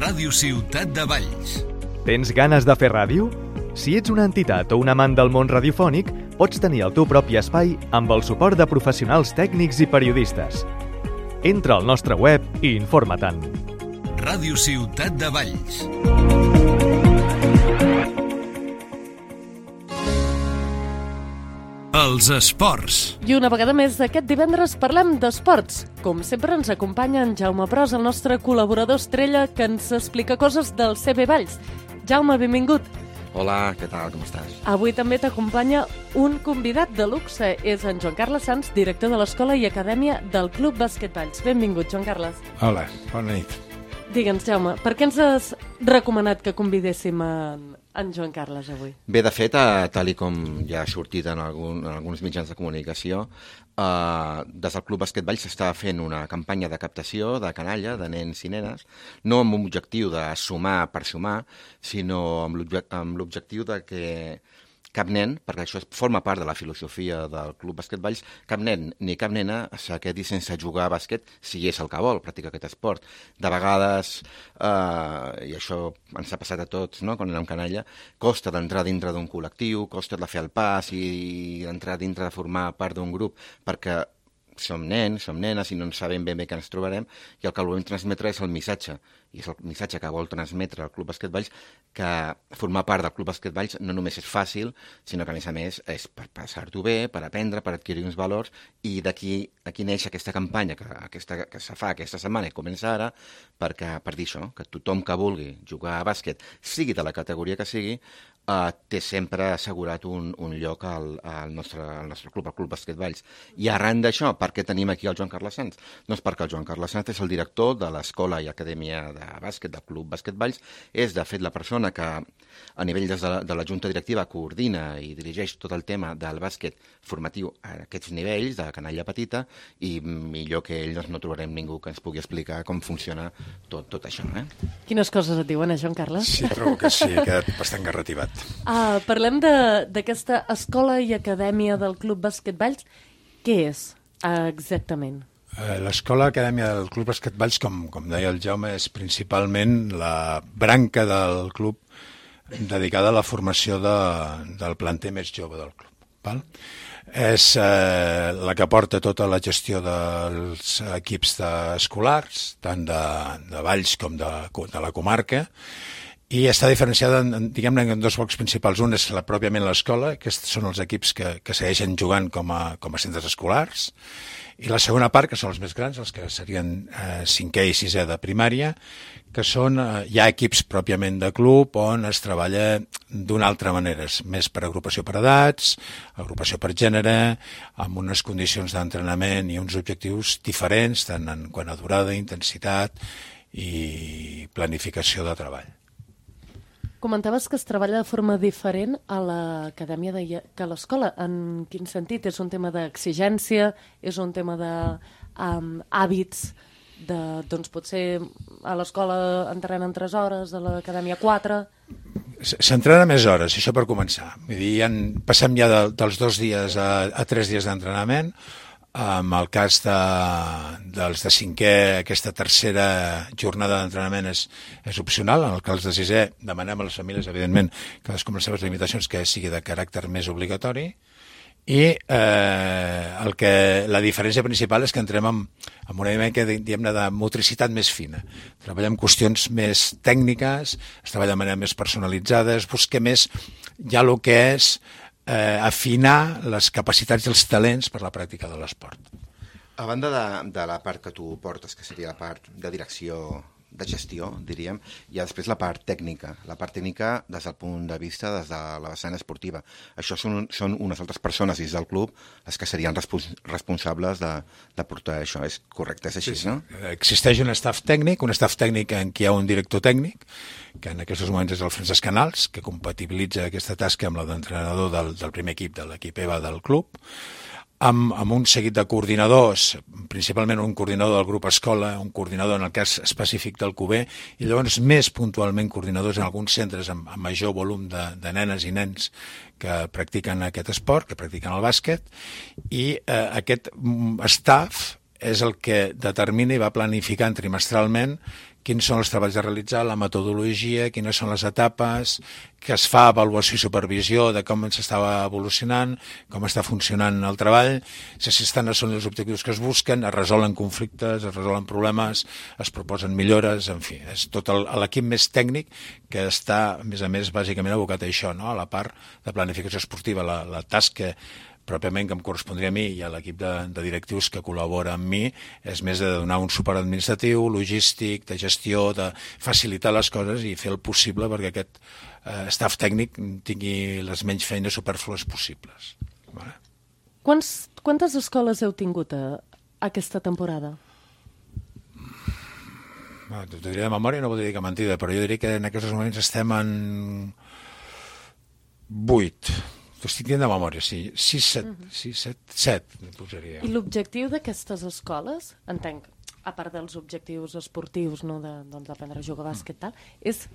Ràdio Ciutat de Valls. Tens ganes de fer ràdio? Si ets una entitat o un amant del món radiofònic, pots tenir el teu propi espai amb el suport de professionals tècnics i periodistes. Entra al nostre web i informa-te'n. Ràdio Ciutat de Valls. Els esports. I una vegada més, aquest divendres parlem d'esports. Com sempre ens acompanya en Jaume Pros, el nostre col·laborador estrella, que ens explica coses del CB Valls. Jaume, benvingut. Hola, què tal, com estàs? Avui també t'acompanya un convidat de luxe. És en Joan Carles Sans, director de l'Escola i Acadèmia del Club Bàsquet Valls. Benvingut, Joan Carles. Hola, bona nit. Digue'ns, Jaume, per què ens has recomanat que convidéssim en Joan Carles avui? Bé, de fet, tal i com ja ha sortit en alguns mitjans de comunicació, des del Club Bàsquet Valls s'està fent una campanya de captació de canalla, de nens i nenes, no amb un objectiu de sumar per sumar, sinó amb l'objectiu de que cap nen, perquè això forma part de la filosofia del Club Bàsquet Valls, cap nen ni cap nena se quedi sense jugar a bàsquet si és el que vol, practicar aquest esport. De vegades, i això ens ha passat a tots, no?, quan anem canalla, costa d'entrar dintre d'un col·lectiu, costa de fer el pas i d'entrar dintre de formar part d'un grup, perquè som nens, som nenes i no sabem ben bé què ens trobarem, i el que volem transmetre és el missatge, i és el missatge que vol transmetre el Club Bàsquet Valls, que formar part del Club Bàsquet Valls no només és fàcil, sinó que a més és per passar-t'ho bé, per aprendre, per adquirir uns valors, i d'aquí neix aquesta campanya que se fa aquesta setmana i comença ara, per dir això, que tothom que vulgui jugar a bàsquet, sigui de la categoria que sigui, té sempre assegurat un lloc al nostre club, al Club Bàsquet Valls. I arran d'això, per què tenim aquí el Joan Carles Sans? Doncs perquè el Joan Carles Sans és el director de l'Escola i Acadèmia de Bàsquet del Club Bàsquet Valls, és de fet la persona que a nivell de la Junta Directiva coordina i dirigeix tot el tema del bàsquet formatiu a aquests nivells, de canalla petita, i millor que ell no trobarem ningú que ens pugui explicar com funciona tot això. Quines coses et diuen, Joan Carles? Sí, trobo que sí, ha quedat bastant garrativat. Parlem d'aquesta escola i acadèmia del Club Bàsquet Valls. Què és exactament? L'escola acadèmia del Club Bàsquet Valls, com deia el Jaume, és principalment la branca del club dedicada a la formació del planter més jove del club. Val? És la que porta tota la gestió dels equips escolars, tant de Valls com de la comarca, i està diferenciada diguem-ne en dos blocs principals. Un és pròpiament l'escola, que són els equips que segueixen jugant com a centres escolars, i la segona part, que són els més grans, els que serien 5è i 6è de primària, que són ja equips pròpiament de club on es treballa d'una altra manera, és més per agrupació per edats, agrupació per gènere, amb unes condicions d'entrenament i uns objectius diferents, tant en quant a durada, intensitat i planificació de treball. Comentaves que es treballa de forma diferent a l'acadèmia que a l'escola. En quin sentit? És un tema d'exigència? És un tema d'hàbits? Doncs potser a l'escola entrenen 3 hores, a l'acadèmia 4? S'entrena més hores, això per començar. Vull dir, passem ja dels 2 dies a 3 dies d'entrenament. En el cas dels de 5è, aquesta tercera jornada d'entrenament és opcional. En el cas de 6è, demanem a les famílies, evidentment, cadascú amb les seves limitacions, que sigui de caràcter més obligatori. I la diferència principal és que entrem amb una mica de motricitat més fina. Treballem qüestions més tècniques, es treballa de manera més personalitzada, es busca més ja el que és afinar les capacitats i els talents per la pràctica de l'esport. A banda de la part que tu portes, que seria la part de direcció de gestió, diríem, i després la part tècnica des del punt de vista des de la vessant esportiva. Això són unes altres persones dins del club les que serien responsables de portar això. És correcte, és així, sí, no? Existeix un staff tècnic en què hi ha un director tècnic, que en aquests moments és el Francesc Canals, que compatibilitza aquesta tasca amb la d'entrenador del primer equip, de l'equip EVA del club, amb un seguit de coordinadors, principalment un coordinador del grup escola, un coordinador en el cas específic del QB, i llavors més puntualment coordinadors en alguns centres amb major volum de nenes i nens que practiquen aquest esport, que practiquen el bàsquet, i aquest staff és el que determina i va planificant trimestralment quins són els treballs a realitzar, la metodologia, quines són les etapes, que es fa avaluació i supervisió de com s'estava evolucionant, com està funcionant el treball, si s'estan assolint els objectius que es busquen, es resolen conflictes, es resolen problemes, es proposen millores, en fi, és tot l'equip més tècnic que està, a més, bàsicament abocat a això, no? A la part de planificació esportiva, la tasca pròpiament que em correspondria a mi i a l'equip de directius que col·labora amb mi és més de donar un suport administratiu, logístic, de gestió, de facilitar les coses i fer el possible perquè aquest staff tècnic tingui les menys feines supèrflues possibles. Vale? Quantes escoles heu tingut aquesta temporada? T'ho diré de memòria, no voldria dir que mentida, però jo diria que en aquests moments estem en 8. T'ho estic dient de memòria, sí. 7 posaria. I l'objectiu d'aquestes escoles, entenc, a part dels objectius esportius, no, d'aprendre a jugar a bàsquet, tal, és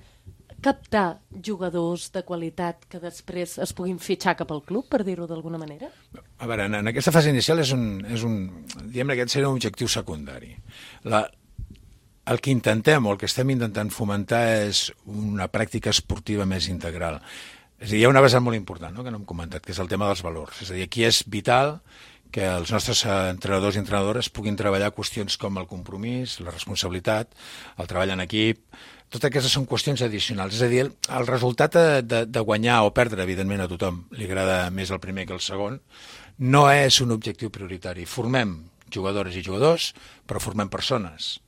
captar jugadors de qualitat que després es puguin fitxar cap al club, per dir-ho d'alguna manera? A veure, en aquesta fase inicial diguem que aquest seria un objectiu secundari. El que intentem, o el que estem intentant fomentar és una pràctica esportiva més integral. És a dir, hi ha una vessant molt important, no?, que no hem comentat, que és el tema dels valors. És a dir, aquí és vital que els nostres entrenadors i entrenadores puguin treballar qüestions com el compromís, la responsabilitat, el treball en equip. Totes aquestes són qüestions addicionals. És a dir, el resultat de guanyar o perdre, evidentment a tothom li agrada més el primer que el segon, no és un objectiu prioritari. Formem jugadores i jugadors, però formem persones.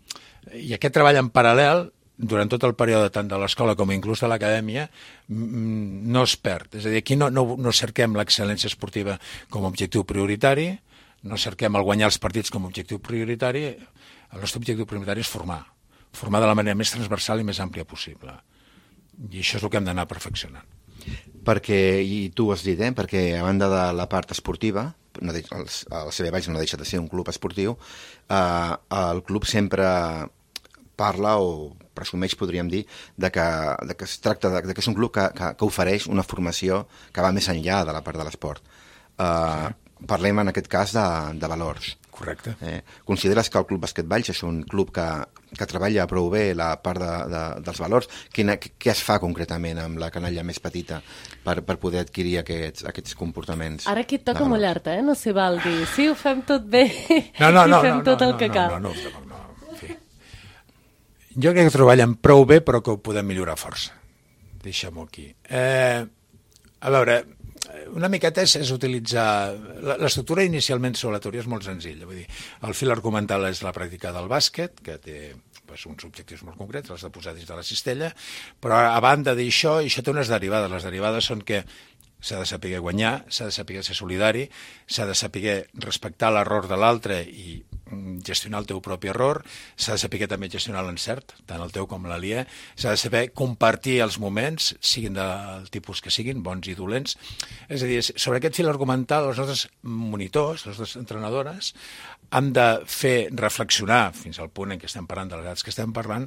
I aquest treball en paral·lel durant tot el període tant de l'escola com inclús de l'acadèmia no es perd. És a dir, aquí no cerquem l'excel·lència esportiva com a objectiu prioritari, no cerquem el guanyar els partits com a objectiu prioritari, el nostre objectiu prioritari és formar de la manera més transversal i més àmplia possible. I això és el que hem d'anar perfeccionant. Perquè, i tu ho has dit, perquè a banda de la part esportiva, el CB Valls no deixa de ser un club esportiu, el club sempre parla o presumeix, podríem dir, de que es tracta de que és un club que ofereix una formació que va més enllà de la part de l'esport. Parlem en aquest cas de valors. Correcte. Consideres que el Club Bàsquet Valls és un club que treballa prou bé la part dels valors? Què es fa concretament amb la canalla més petita per poder adquirir aquests comportaments? Ara aquí et toca mullar-te, no s'hi val dir sí, ho fem tot bé i fem tot el que cal. No. Jo crec que treballen prou bé, però que ho podem millorar força. Deixem-ho aquí. A veure, una miqueta és utilitzar... L'estructura inicialment sobre la teoria és molt senzilla. Vull dir, el fil argumental és la pràctica del bàsquet, que té uns objectius molt concrets, els de posar dins de la cistella, però a banda d'això, això té unes derivades. Les derivades són que s'ha de saber guanyar, s'ha de saber ser solidari, s'ha de saber respectar l'error de l'altre i gestionar el teu propi error, s'ha de saber també gestionar l'encert, tant el teu com l'aliè, s'ha de saber compartir els moments, siguin del tipus que siguin, bons i dolents. És a dir, sobre aquest fil argumental, els nostres monitors, les nostres entrenadores, han de fer reflexionar, fins al punt en què estem parlant de les edats que estem parlant,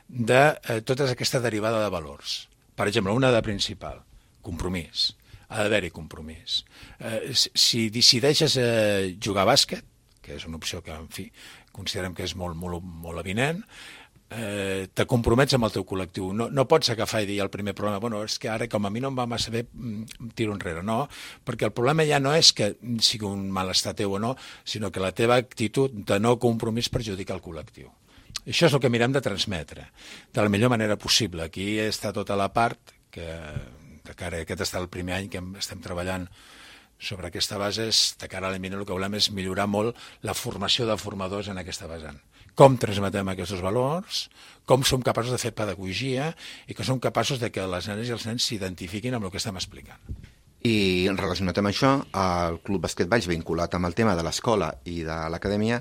de tota aquesta derivada de valors. Per exemple, una de principal, compromís. Ha d'haver-hi compromís. Si decideixes jugar a bàsquet, que és una opció que, en fi, considerem que és molt avinent, te compromets amb el teu col·lectiu. No pots agafar i dir al primer problema, bueno, és que ara com a mi no em va massa bé, tiro enrere. No, perquè el problema ja no és que sigui un malestar teu o no, sinó que la teva actitud de no compromís perjudica el col·lectiu. Això és el que mirem de transmetre de la millor manera possible. Aquí està tota la part que aquest està el primer any que estem treballant sobre aquesta base, de cara a l'eminent, el que volem és millorar molt la formació de formadors en aquesta vessant. Com transmetem aquests valors, com som capaços de fer pedagogia i que som capaços de que les nenes i els nens s'identifiquin amb el que estem explicant. I relacionat amb això, el Club Bàsquet Valls, vinculat amb el tema de l'escola i de l'acadèmia,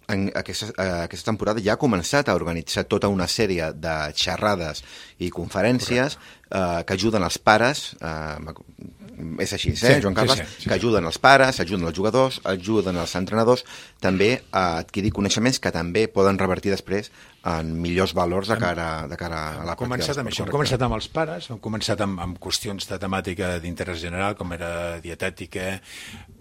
aquesta temporada ja ha començat a organitzar tota una sèrie de xerrades i conferències que ajuden els pares, és així, Joan Carles? Sí. Que ajuden els pares, ajuden els jugadors, ajuden els entrenadors també a adquirir coneixements que també poden revertir després en millors valors de cara a la pràctica. Hem començat amb els pares, hem començat amb qüestions de temàtica d'interès general, com era dietètica,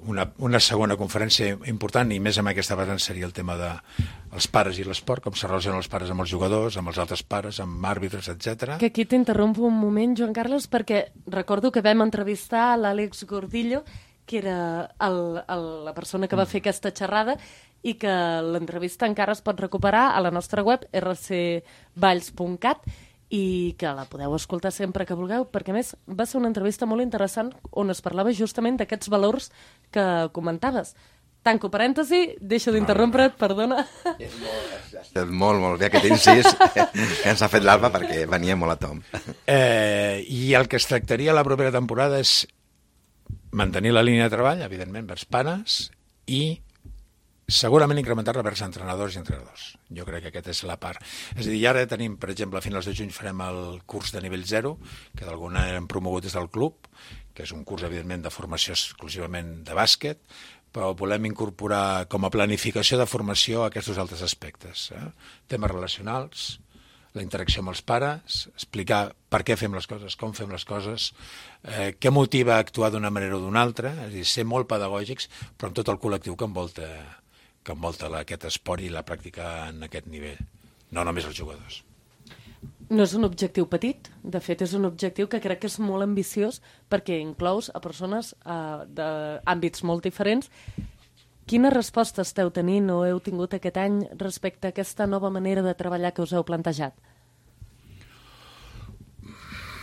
una segona conferència important, i més amb aquesta vessant seria el tema dels pares i l'esport, com se relacionen els pares amb els jugadors, amb els altres pares, amb àrbitres, etc. Que aquí t'interrompo un moment, Joan Carles, perquè recordo que vam entrevistar l'Àlex Gordillo, que era la persona que va fer aquesta xerrada, i que l'entrevista encara es pot recuperar a la nostra web, rcvalls.cat, i que la podeu escoltar sempre que vulgueu, perquè a més va ser una entrevista molt interessant on es parlava justament d'aquests valors que comentaves. Tanco parèntesi, deixo d'interrompre't, perdona. Molt bé aquest incís que ens ha fet l'Alba, perquè venia molt a tom. I el que es tractaria la propera temporada és mantenir la línia de treball, evidentment, vers pares, i segurament incrementar-la vers entrenadors i entrenadors. Jo crec que aquesta és la part. És a dir, ara tenim, per exemple, a finals de juny farem el curs de nivell 0, que d'alguna hem promogut des del club, que és un curs, evidentment, de formació exclusivament de bàsquet, però volem incorporar com a planificació de formació aquests altres aspectes. Temes relacionals, la interacció amb els pares, explicar per què fem les coses, com fem les coses, què motiva a actuar d'una manera o d'una altra, és a dir, ser molt pedagògics, però amb tot el col·lectiu que envolta aquest esport i la pràctica en aquest nivell, no només els jugadors. No és un objectiu petit, de fet és un objectiu que crec que és molt ambiciós perquè inclous a persones d'àmbits molt diferents. Quines respostes esteu tenint o heu tingut aquest any respecte a aquesta nova manera de treballar que us heu plantejat?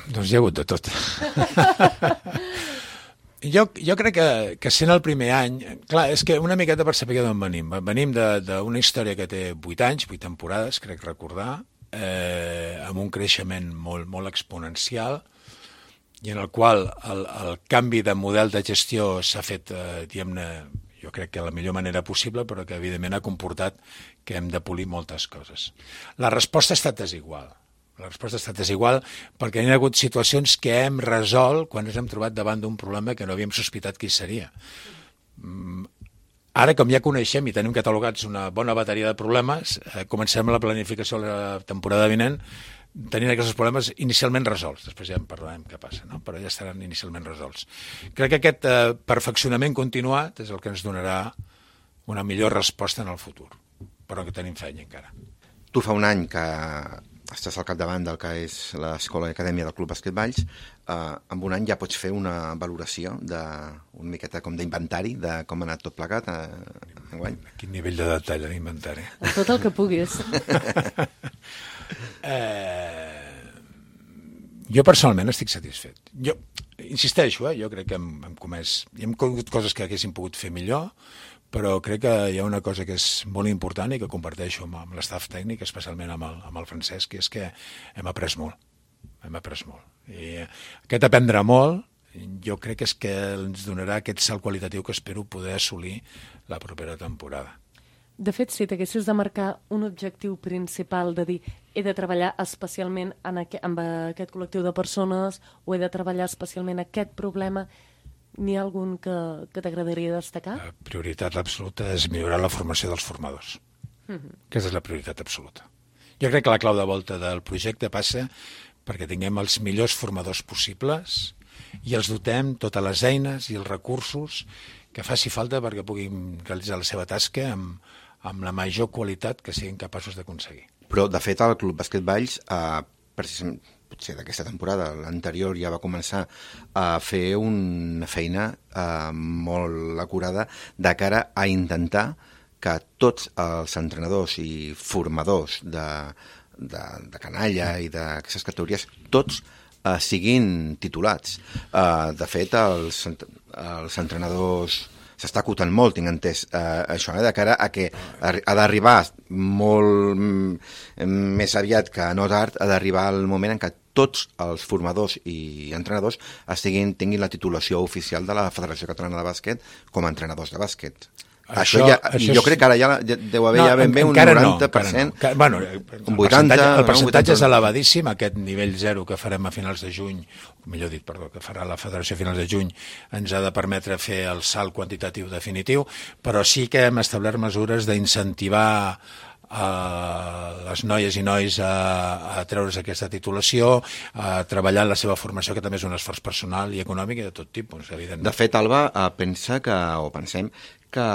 Doncs hi ha hagut de tot. Jo crec que sent el primer any, clar, és que una miqueta per saber d'on venim. Venim d'una història que té 8 anys, 8 temporades, crec recordar, amb un creixement molt exponencial, i en el qual el canvi de model de gestió s'ha fet, diguem-ne, jo crec que de la millor manera possible, però que evidentment ha comportat que hem de polir moltes coses. La resposta ha estat desigual. La resposta ha estat desigual perquè hi ha hagut situacions que hem resolt quan ens hem trobat davant d'un problema que no havíem sospitat qui seria. Ara, com ja coneixem i tenim catalogats una bona bateria de problemes, comencem la planificació de la temporada vinent tenint aquests problemes inicialment resolts. Després ja en parlarem què passa, no? Però ja estaran inicialment resolts. Crec que aquest perfeccionament continuat és el que ens donarà una millor resposta en el futur, però que tenim feina encara. Tu fa un any que estàs al capdavant del que és l'escola i acadèmia del Club Bàsquet Valls. En un any ja pots fer una valoració una miqueta com d'inventari de com ha anat tot plegat enguany. Quin nivell de detall d'inventari? Tot el que puguis. Jo personalment estic satisfet. Jo insisteixo, jo crec que hem comès... Hi hem conegut coses que haguéssim pogut fer millor, però crec que hi ha una cosa que és molt important i que comparteixo amb l'estaf tècnic, especialment amb el Francesc, que és que hem après molt. Hem après molt. I aquest aprendre molt, jo crec que és que ens donarà aquest salt qualitatiu que espero poder assolir la propera temporada. De fet, si t'haguessis de marcar un objectiu principal de dir he de treballar especialment amb aquest col·lectiu de persones o he de treballar especialment aquest problema, n'hi ha algun que t'agradaria destacar? La prioritat absoluta és millorar la formació dels formadors. Aquesta és la prioritat absoluta. Jo crec que la clau de volta del projecte passa perquè tinguem els millors formadors possibles i els dotem totes les eines i els recursos que faci falta perquè puguin realitzar la seva tasca amb la major qualitat que siguin capaços d'aconseguir. Però, de fet, el Club Bàsquet Valls, precisament, potser d'aquesta temporada, l'anterior ja va començar a fer una feina molt acurada de cara a intentar que tots els entrenadors i formadors de canalla i d'aquestes categories, tots siguin titulats. De fet, els entrenadors s'està acotant molt, tinc entès, això, de cara a que ha d'arribar molt més aviat que no tard, ha d'arribar el moment en què tots els formadors i entrenadors tinguin la titulació oficial de la Federació Catalana de Bàsquet com a entrenadors de bàsquet. Jo crec que ara ja deu haver ben bé un 90%. Bueno, un 80%. El percentatge és elevadíssim, aquest nivell 0 que farem a finals de juny, millor dit, perdó, que farà la Federació a finals de juny, ens ha de permetre fer el salt quantitatiu definitiu, però sí que hem establert mesures d'incentivar les noies i nois a treure's aquesta titulació, a treballar en la seva formació, que també és un esforç personal i econòmic i de tot tipus, evidentment. De fet, Alba, pensem que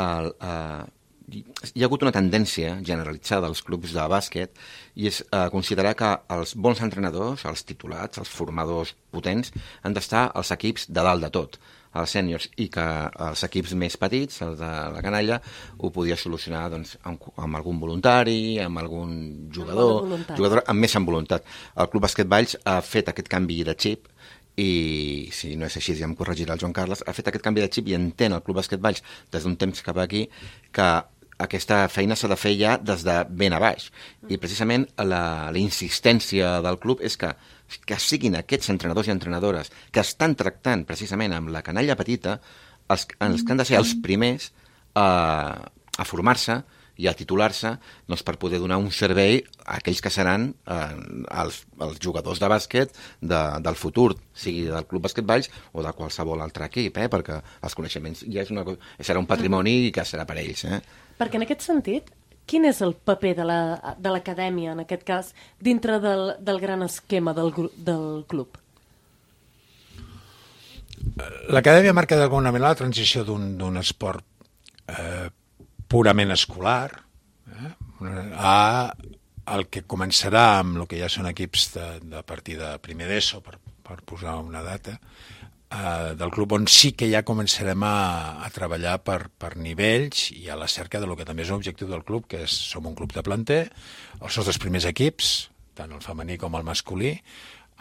hi ha hagut una tendència generalitzada als clubs de bàsquet i és considerar que els bons entrenadors, els titulats, els formadors potents, han d'estar als equips de dalt de tot, als sèniors, i que els equips més petits, els de la canalla, ho podia solucionar doncs, amb algun voluntari, amb algun jugador amb més en voluntat. El Club Bàsquet Valls ha fet aquest canvi de xip i, si no és així, ja em corregirà el Joan Carles, ha fet aquest canvi de xip i entén el Club Bàsquet Valls des d'un temps cap aquí que aquesta feina s'ha de fer ja des de ben a baix. I precisament la insistència del club és que siguin aquests entrenadors i entrenadores que estan tractant precisament amb la canalla petita els que han de ser els primers a formar-se i a titular-se doncs, per poder donar un servei a aquells que seran els jugadors de bàsquet del futur, sigui del Club Bàsquet Valls o de qualsevol altre equip, perquè els coneixements ja serà un patrimoni que serà per ells. Perquè en aquest sentit, quin és el paper de l'acadèmia, en aquest cas, dintre del gran esquema del club? L'acadèmia marca d'alguna manera la transició d'un esport purament escolar al que començarà amb el que ja són equips de partir de primer d'ESO, per posar una data, del club on sí que ja començarem a treballar per nivells i a la cerca de lo que també és un objectiu del club, que som un club de planter. Els nostres primers equips, tant el femení com el masculí,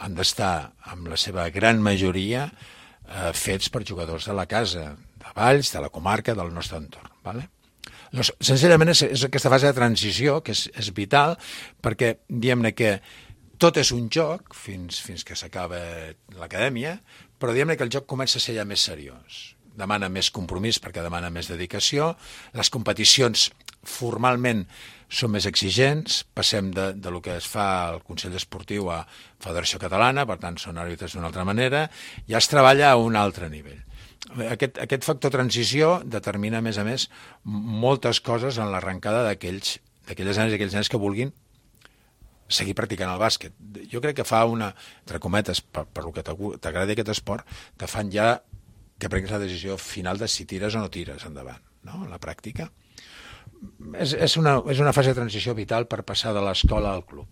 han d'estar, amb la seva gran majoria, fets per jugadors de la casa, de Valls, de la comarca, del nostre entorn. Doncs, senzillament és aquesta fase de transició que és vital, perquè diguem-ne que tot és un joc fins que s'acaba l'acadèmia, però diguem-ne que el joc comença a ser ja més seriós. Demana més compromís perquè demana més dedicació. Les competicions formalment són més exigents. Passem de lo que es fa al Consell Esportiu a Federació Catalana, per tant són àrbitres d'una altra manera. Ja es treballa a un altre nivell. Aquest factor transició determina, a més, moltes coses en l'arrencada d'aquelles nenes i aquells nens que vulguin seguir practicant el bàsquet. Jo crec que fa entre cometes, per lo que t'agradi aquest esport, te fan ja que prenguis la decisió final de si tires o no tires endavant, no? En la pràctica. És una fase de transició vital per passar de l'escola al club.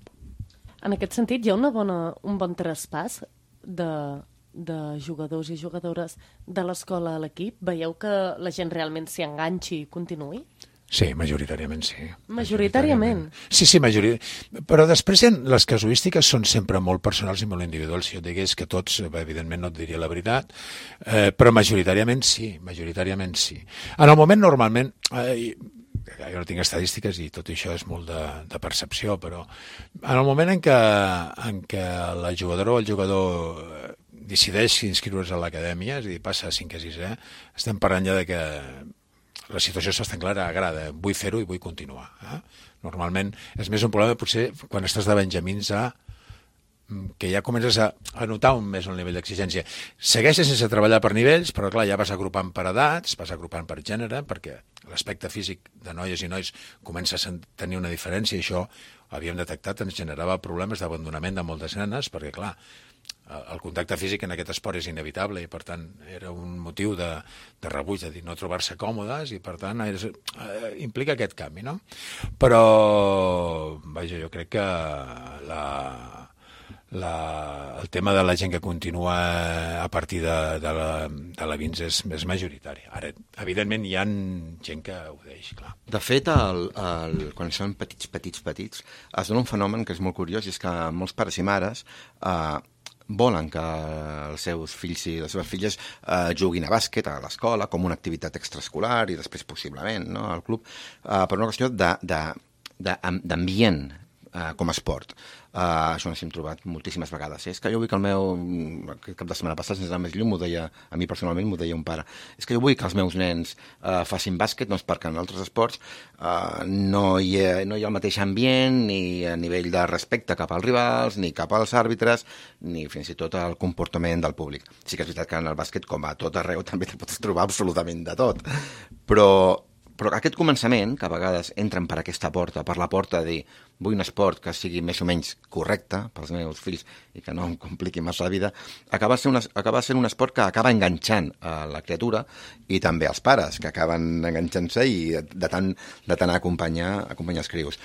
En aquest sentit, hi ha un bon traspàs de jugadors i jugadores de l'escola a l'equip? Veieu que la gent realment s'hi enganxi i continuï? Sí, majoritàriament sí. Majoritàriament? Sí, majoritàriament. Però després les casuístiques són sempre molt personals i molt individuals. Si jo digués que tots, evidentment no et diria la veritat, però majoritàriament sí. En el moment, normalment, jo no tinc estadístiques i tot això és molt de percepció, però en el moment en què la jugadora o el jugador decideix inscriure's a l'acadèmia, és a dir, passa a 5è a 6è, estem parlant ja de que la situació és bastant clara, agrada, vull fer-ho i vull continuar. Normalment és més un problema potser quan estàs de benjamins que ja comences a notar més el nivell d'exigència. Segueixes sense treballar per nivells, però clar, ja vas agrupant per edats, vas agrupant per gènere, perquè l'aspecte físic de noies i nois comença a tenir una diferència i això havíem detectat, ens generava problemes d'abandonament de moltes nenes, perquè clar, el contacte físic en aquest esport és inevitable i per tant era un motiu de rebuig, de dir no trobar-se còmodes i per tant implica aquest canvi, no? Però vaja, jo crec que el tema de la gent que continua a partir de la Vins és majoritari. Ara, evidentment, hi ha gent que ho deix, clar. De fet, quan són petits, es dona un fenomen que és molt curiós i és que molts pares i mares volen que els seus fills i les seves filles juguin a bàsquet a l'escola com una activitat extraescolar i després possiblement al club, per una qüestió d'ambient com a esport. Això ens hem trobat moltíssimes vegades. És que jo vull que el meu... Aquest cap de setmana passat, sense anar més lluny, m'ho deia, a mi personalment m'ho deia un pare. És que jo vull que els meus nens facin bàsquet, doncs perquè en altres esports no hi ha el mateix ambient, ni a nivell de respecte cap als rivals, ni cap als àrbitres, ni fins i tot el comportament del públic. Sí que és veritat que en el bàsquet, com a tot arreu, també te pots trobar absolutament de tot. Però aquest començament, que a vegades entren per aquesta porta, per la porta de dir vull un esport que sigui més o menys correcte pels meus fills i que no em compliqui massa la vida, acaba sent un esport que acaba enganxant a la criatura i també als pares, que acaben enganxant-se i de tant acompanyar els crios.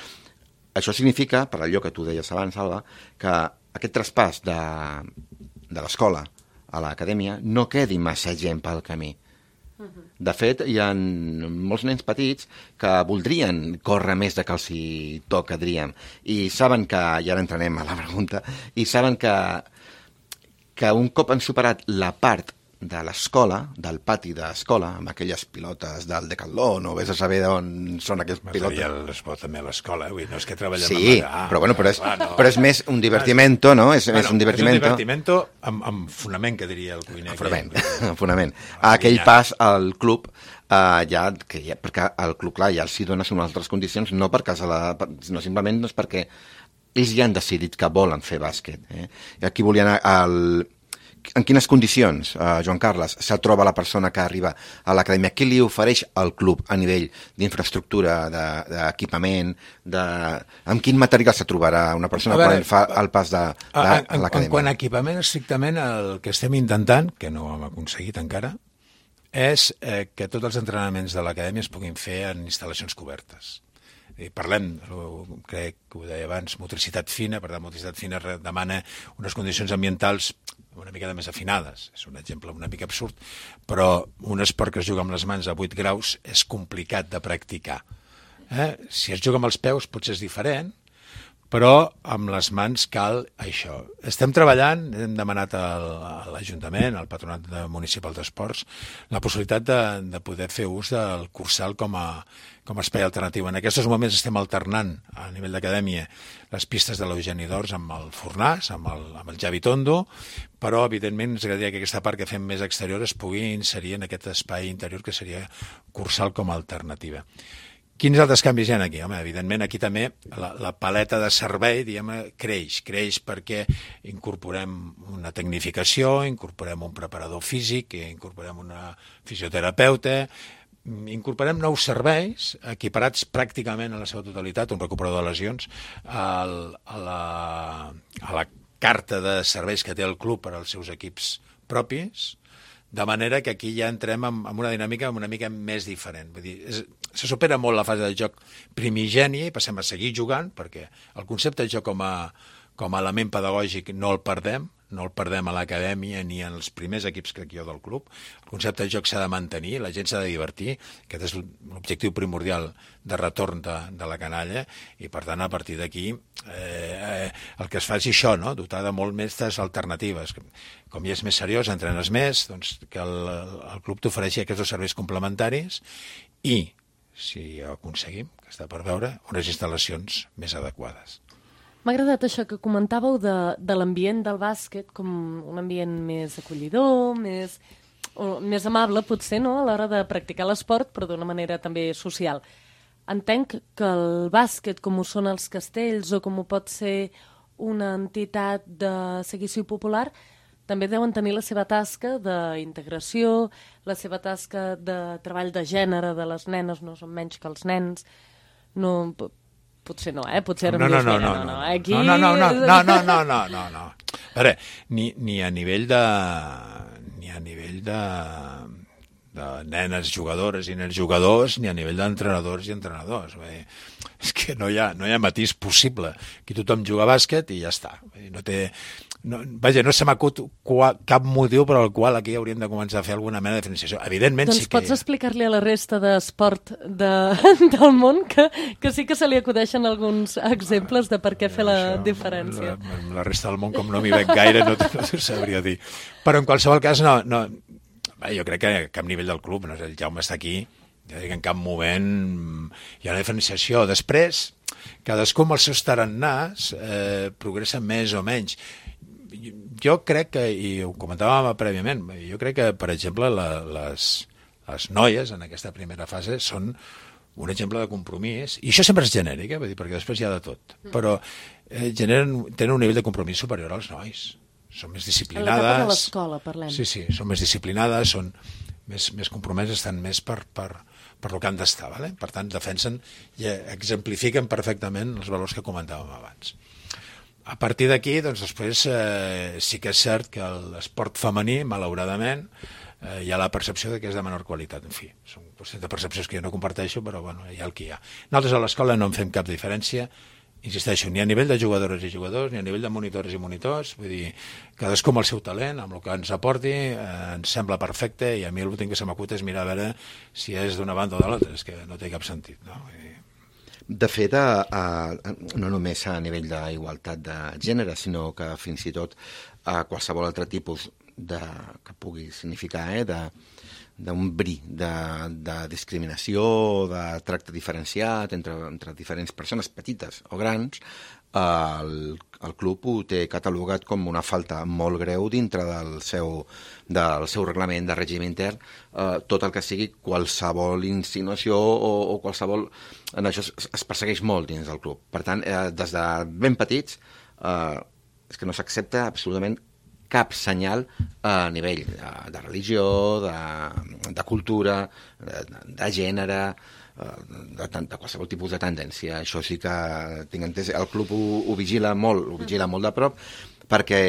Això significa, per allò que tu deies abans, Alba, que aquest traspàs de l'escola a l'acadèmia no quedi massa gent pel camí. De fet, hi ha molts nens petits que voldrien córrer més de que els hi toca, diríem, i saben que, i ara entrarem a la pregunta, i saben que un cop han superat la part de l'escola, del pati d'escola, amb aquelles pilotes del Decathlon, o vés a saber d'on són aquelles pilotes. Material es pot també a l'escola, no és que treballem sí, però és més un divertimento, no? És un divertimento amb fonament, que diria el cuiner. Fonament. Aquell pas al club, perquè al club, clar, ja els hi dones unes altres condicions, no sinó simplement perquè ells ja han decidit que volen fer bàsquet. I aquí volia anar en quines condicions, Joan Carles, se troba la persona que arriba a l'acadèmia? Què li ofereix al club a nivell d'infraestructura, d'equipament? Amb quin material se trobarà una persona quan fa el pas a l'acadèmia? Quant a equipament, estrictament, el que estem intentant, que no ho hem aconseguit encara, és que tots els entrenaments de l'acadèmia es puguin fer en instal·lacions cobertes. Parlem, crec que ho deia abans, motricitat fina, per tant, motricitat fina demana unes condicions ambientals una mica més afinades. És un exemple una mica absurd, però un esport que es juga amb les mans a 8 graus és complicat de practicar. Si es juga amb els peus potser és diferent, però amb les mans cal això. Estem treballant, hem demanat a l'Ajuntament, al Patronat Municipal d'Esports, la possibilitat de poder fer ús del Cursal com a espai alternatiu. En aquests moments estem alternant a nivell d'acadèmia les pistes de l'Eugeni d'Ors amb el Fornàs, amb el Javi Tondo, però evidentment ens agradaria que aquesta part que fem més exterior es pugui inserir en aquest espai interior que seria Cursal com a alternativa. Quins altres canvis hi ha aquí? Home, evidentment, aquí també la paleta de servei, creix perquè incorporem una tecnificació, incorporem un preparador físic, incorporem una fisioterapeuta, incorporem nous serveis equiparats pràcticament a la seva totalitat, un recuperador de lesions, a la carta de serveis que té el club per als seus equips propis, de manera que aquí ja entrem en una dinàmica una mica més diferent. Vull dir, se supera molt la fase de joc primigènia i passem a seguir jugant, perquè el concepte de joc com a element pedagògic no el perdem a l'acadèmia ni en els primers equips, crec jo, del club. El concepte de joc s'ha de mantenir, la gent s'ha de divertir, aquest és l'objectiu primordial de retorn de la canalla, i per tant, a partir d'aquí, el que es fa és això, no? Dotar de molt més alternatives. Com ja és més seriós, entrenes més, doncs que el club t'ofereixi aquests serveis complementaris i, si ho aconseguim, que està per veure, unes instal·lacions més adequades. M'ha agradat això que comentàveu de l'ambient del bàsquet com un ambient més acollidor, més amable, potser, no?, a l'hora de practicar l'esport, però d'una manera també social. Entenc que el bàsquet, com ho són els castells o com ho pot ser una entitat de seguici popular, també deuen tenir la seva tasca d'integració, la seva tasca de treball de gènere de les nenes, no són menys que els nens, no... Potser no, Potser ara em dius, no. Aquí... No. A veure, ni a nivell de nenes jugadores i nens jugadors, ni a nivell d'entrenadors i entrenadors. És que no hi ha matís possible. Aquí tothom juga a bàsquet i ja està. No té... Vaja, no se m'acut cap motiu per al qual aquí hauríem de començar a fer alguna mena de diferenciació. Evidentment doncs sí que... pots explicar-li a la resta d'esport del món que sí que se li acudeixen alguns exemples de per què fer la diferència. La resta del món, com no m'hi veig gaire, no t'ho sabria dir. Però en qualsevol cas, jo crec que a cap nivell del club, no? El Jaume està aquí, ja dic, en cap moment hi ha una diferenciació. Després, cadascú amb els seus tarannàs progressa més o menys. Jo crec que, i ho comentàvem prèviament, jo crec que, per exemple, les noies en aquesta primera fase són un exemple de compromís, i això sempre és genèric, perquè després hi ha de tot, però tenen un nivell de compromís superior als nois. Són més disciplinades. A l'etapa de l'escola, parlem. Sí, són més disciplinades, són més compromeses, estan més per el que han d'estar. ¿vale? Per tant, defensen i exemplifiquen perfectament els valors que comentàvem abans. A partir d'aquí, doncs, després sí que és cert que l'esport femení, malauradament, hi ha la percepció de que és de menor qualitat. En fi, són qüestions de percepcions que jo no comparteixo, però bueno, hi ha el que hi ha. Nosaltres a l'escola no en fem cap diferència, insisteixo, ni a nivell de jugadores i jugadors, ni a nivell de monitores i monitors, vull dir, cadascú amb el seu talent, amb el que ens aporti, ens sembla perfecte, i a mi l'últim que se m'acut és mirar a veure si és d'una banda o de l'altra, és que no té cap sentit, no? De fet, no només a nivell d'igualtat de gènere, sinó que fins i tot a qualsevol altre tipus que pugui significar d'un bri de discriminació, de tracte diferenciat entre diferents persones petites o grans, el club ho té catalogat com una falta molt greu dintre del seu reglament de règim intern, tot el que sigui qualsevol insinuació o qualsevol... En això es persegueix molt dins del club. Per tant, des de ben petits, és que no s'accepta absolutament cap senyal a nivell de religió, de cultura, de gènere, de qualsevol tipus de tendència. Això sí que tinc entès. El club ho vigila molt de prop, perquè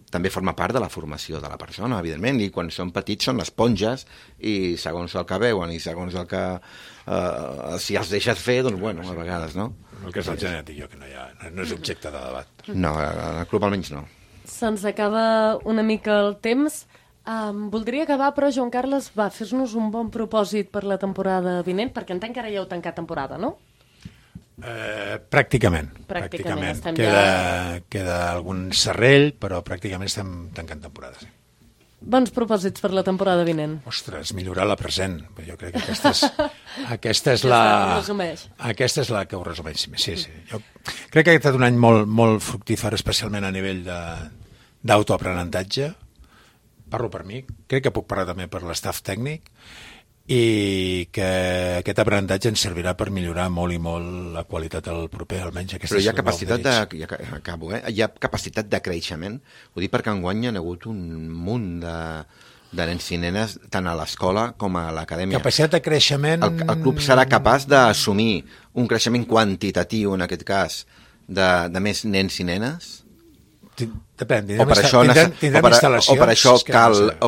també forma part de la formació de la persona, evidentment, i quan són petits són esponges, i segons el que veuen i segons el que... si els deixes fer, doncs bueno, a vegades, no? El que és el genètic, que no és objecte de debat. No, al club almenys no. Se'ns acaba una mica el temps. Voldria acabar, però, Joan Carles, fes-nos un bon propòsit per la temporada vinent, perquè entenc que ara ja heu tancat temporada, no? Pràcticament. Queda algun serrell, però pràcticament estem tancant temporada, sí. Bons propòsits per la temporada vinent. Ostres, millorar la present. Jo crec que aquesta és la que ho resumeix. Sí. Jo crec que ha estat un any molt, molt fructífer, especialment a nivell d'autoaprenentatge. Parlo per mi, crec que puc parlar també per l'estaf tècnic, i que aquest aprenentatge ens servirà per millorar molt i molt la qualitat del proper, almenys aquesta. Però hi ha capacitat hi ha capacitat de creixement. Ho dic perquè enguany hi ha hagut un munt de nens i nenes tant a l'escola com a l'acadèmia. Capacitat de creixement... El club serà capaç d'assumir un creixement quantitatiu, en aquest cas, de més nens i nenes? Depèn, tindrem instal·lacions. O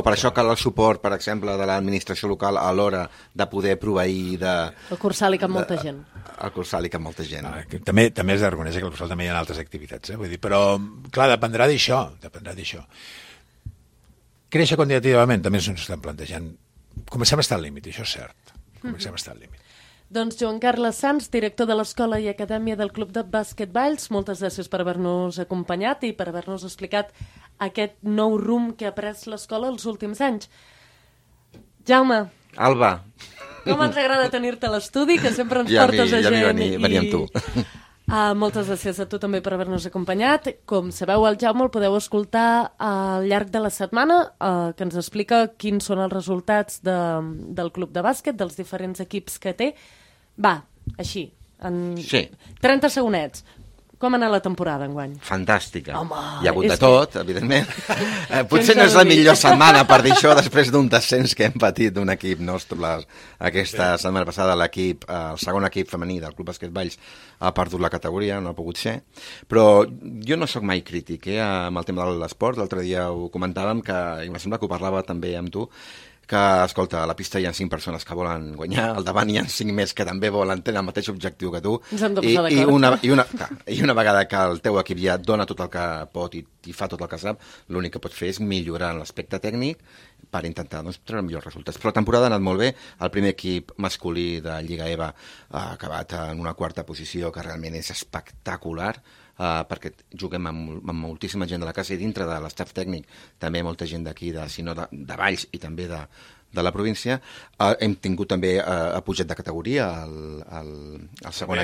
per això cal el suport, per exemple, de l'administració local a l'hora de poder proveir de... El Cursal hi cap molta gent. El Cursal hi cap molta gent. També has de reconèixer que al Cursal també hi ha altres activitats, vull dir, però, clar, dependrà d'això. Créixer quantitativament també ens ho estem plantejant. Comencem a estar al límit, això és cert. Comencem a estar al límit. Doncs Joan Carles Sans, director de l'Escola i Acadèmia del Club de Bàsquet Valls, moltes gràcies per haver-nos acompanyat i per haver-nos explicat aquest nou rumb que ha pres l'escola els últims anys. Jaume. Alba. Com ens agrada tenir-te a l'estudi, que sempre ens portes a gent. venir amb tu. Moltes gràcies a tu també per haver-nos acompanyat. Com sabeu, el Jaume el podeu escoltar al llarg de la setmana, que ens explica quins són els resultats del club de bàsquet, dels diferents equips que té. Així, en 30 segonets. Com ha anat la temporada enguany? Fantàstica. Hi ha hagut de tot, evidentment. Potser no és la millor setmana per dir això després d'un descens que hem patit d'un equip nostre. Aquesta setmana passada el segon equip femení del Club Bàsquet Valls ha perdut la categoria, no ha pogut ser. Però jo no sóc mai crític amb el tema de l'esport. L'altre dia ho comentàvem, i em sembla que ho parlava també amb tu, que, escolta, a la pista hi ha 5 persones que volen guanyar, al davant hi ha 5 més que també volen tenir el mateix objectiu que tu. Ens hem de posar d'acord. I una vegada que el teu equip ja dona tot el que pot i fa tot el que sap, l'únic que pots fer és millorar en l'aspecte tècnic per intentar treure millors resultats. Però la temporada ha anat molt bé. El primer equip masculí de Lliga EVA ha acabat en una 4a posició, que realment és espectacular, perquè juguem amb moltíssima gent de la casa i dintre de l'estaf tècnic també molta gent d'aquí, sinó de Valls i també de la província. Hem tingut també ha pujat de categoria el segon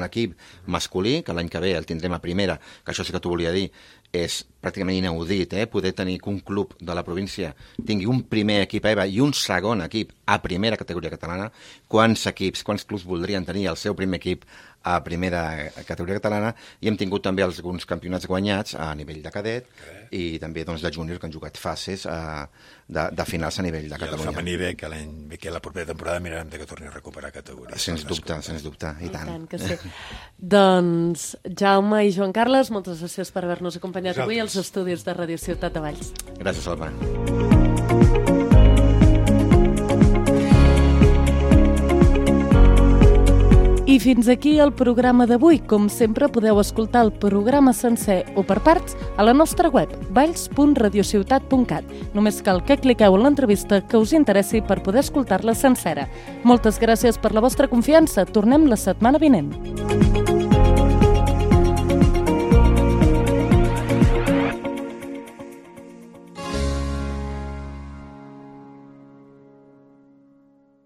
equip masculí, que l'any que ve el tindrem a primera, que això sí que t'ho volia dir, és pràcticament inaudit, poder tenir que un club de la província tingui un primer equip EVA i un segon equip a primera categoria catalana. Quants clubs voldrien tenir el seu primer equip a primera categoria catalana? I hem tingut també alguns campionats guanyats a nivell de cadet i també de júnior, que han jugat fases de finals a nivell de Catalunya. I el femení bé, que la propera temporada mirarem que torni a recuperar categoria. Sens dubte, i tant. I tant que sí. Doncs, Jaume i Joan Carles, moltes gràcies per haver-nos acompanyat avui als estudis de Ràdio Ciutat de Valls. Gràcies, Alba. I fins aquí el programa d'avui. Com sempre, podeu escoltar el programa sencer o per parts a la nostra web, valls.radiociutat.cat. Només cal que cliqueu en l'entrevista que us interessi per poder escoltar-la sencera. Moltes gràcies per la vostra confiança. Tornem la setmana vinent.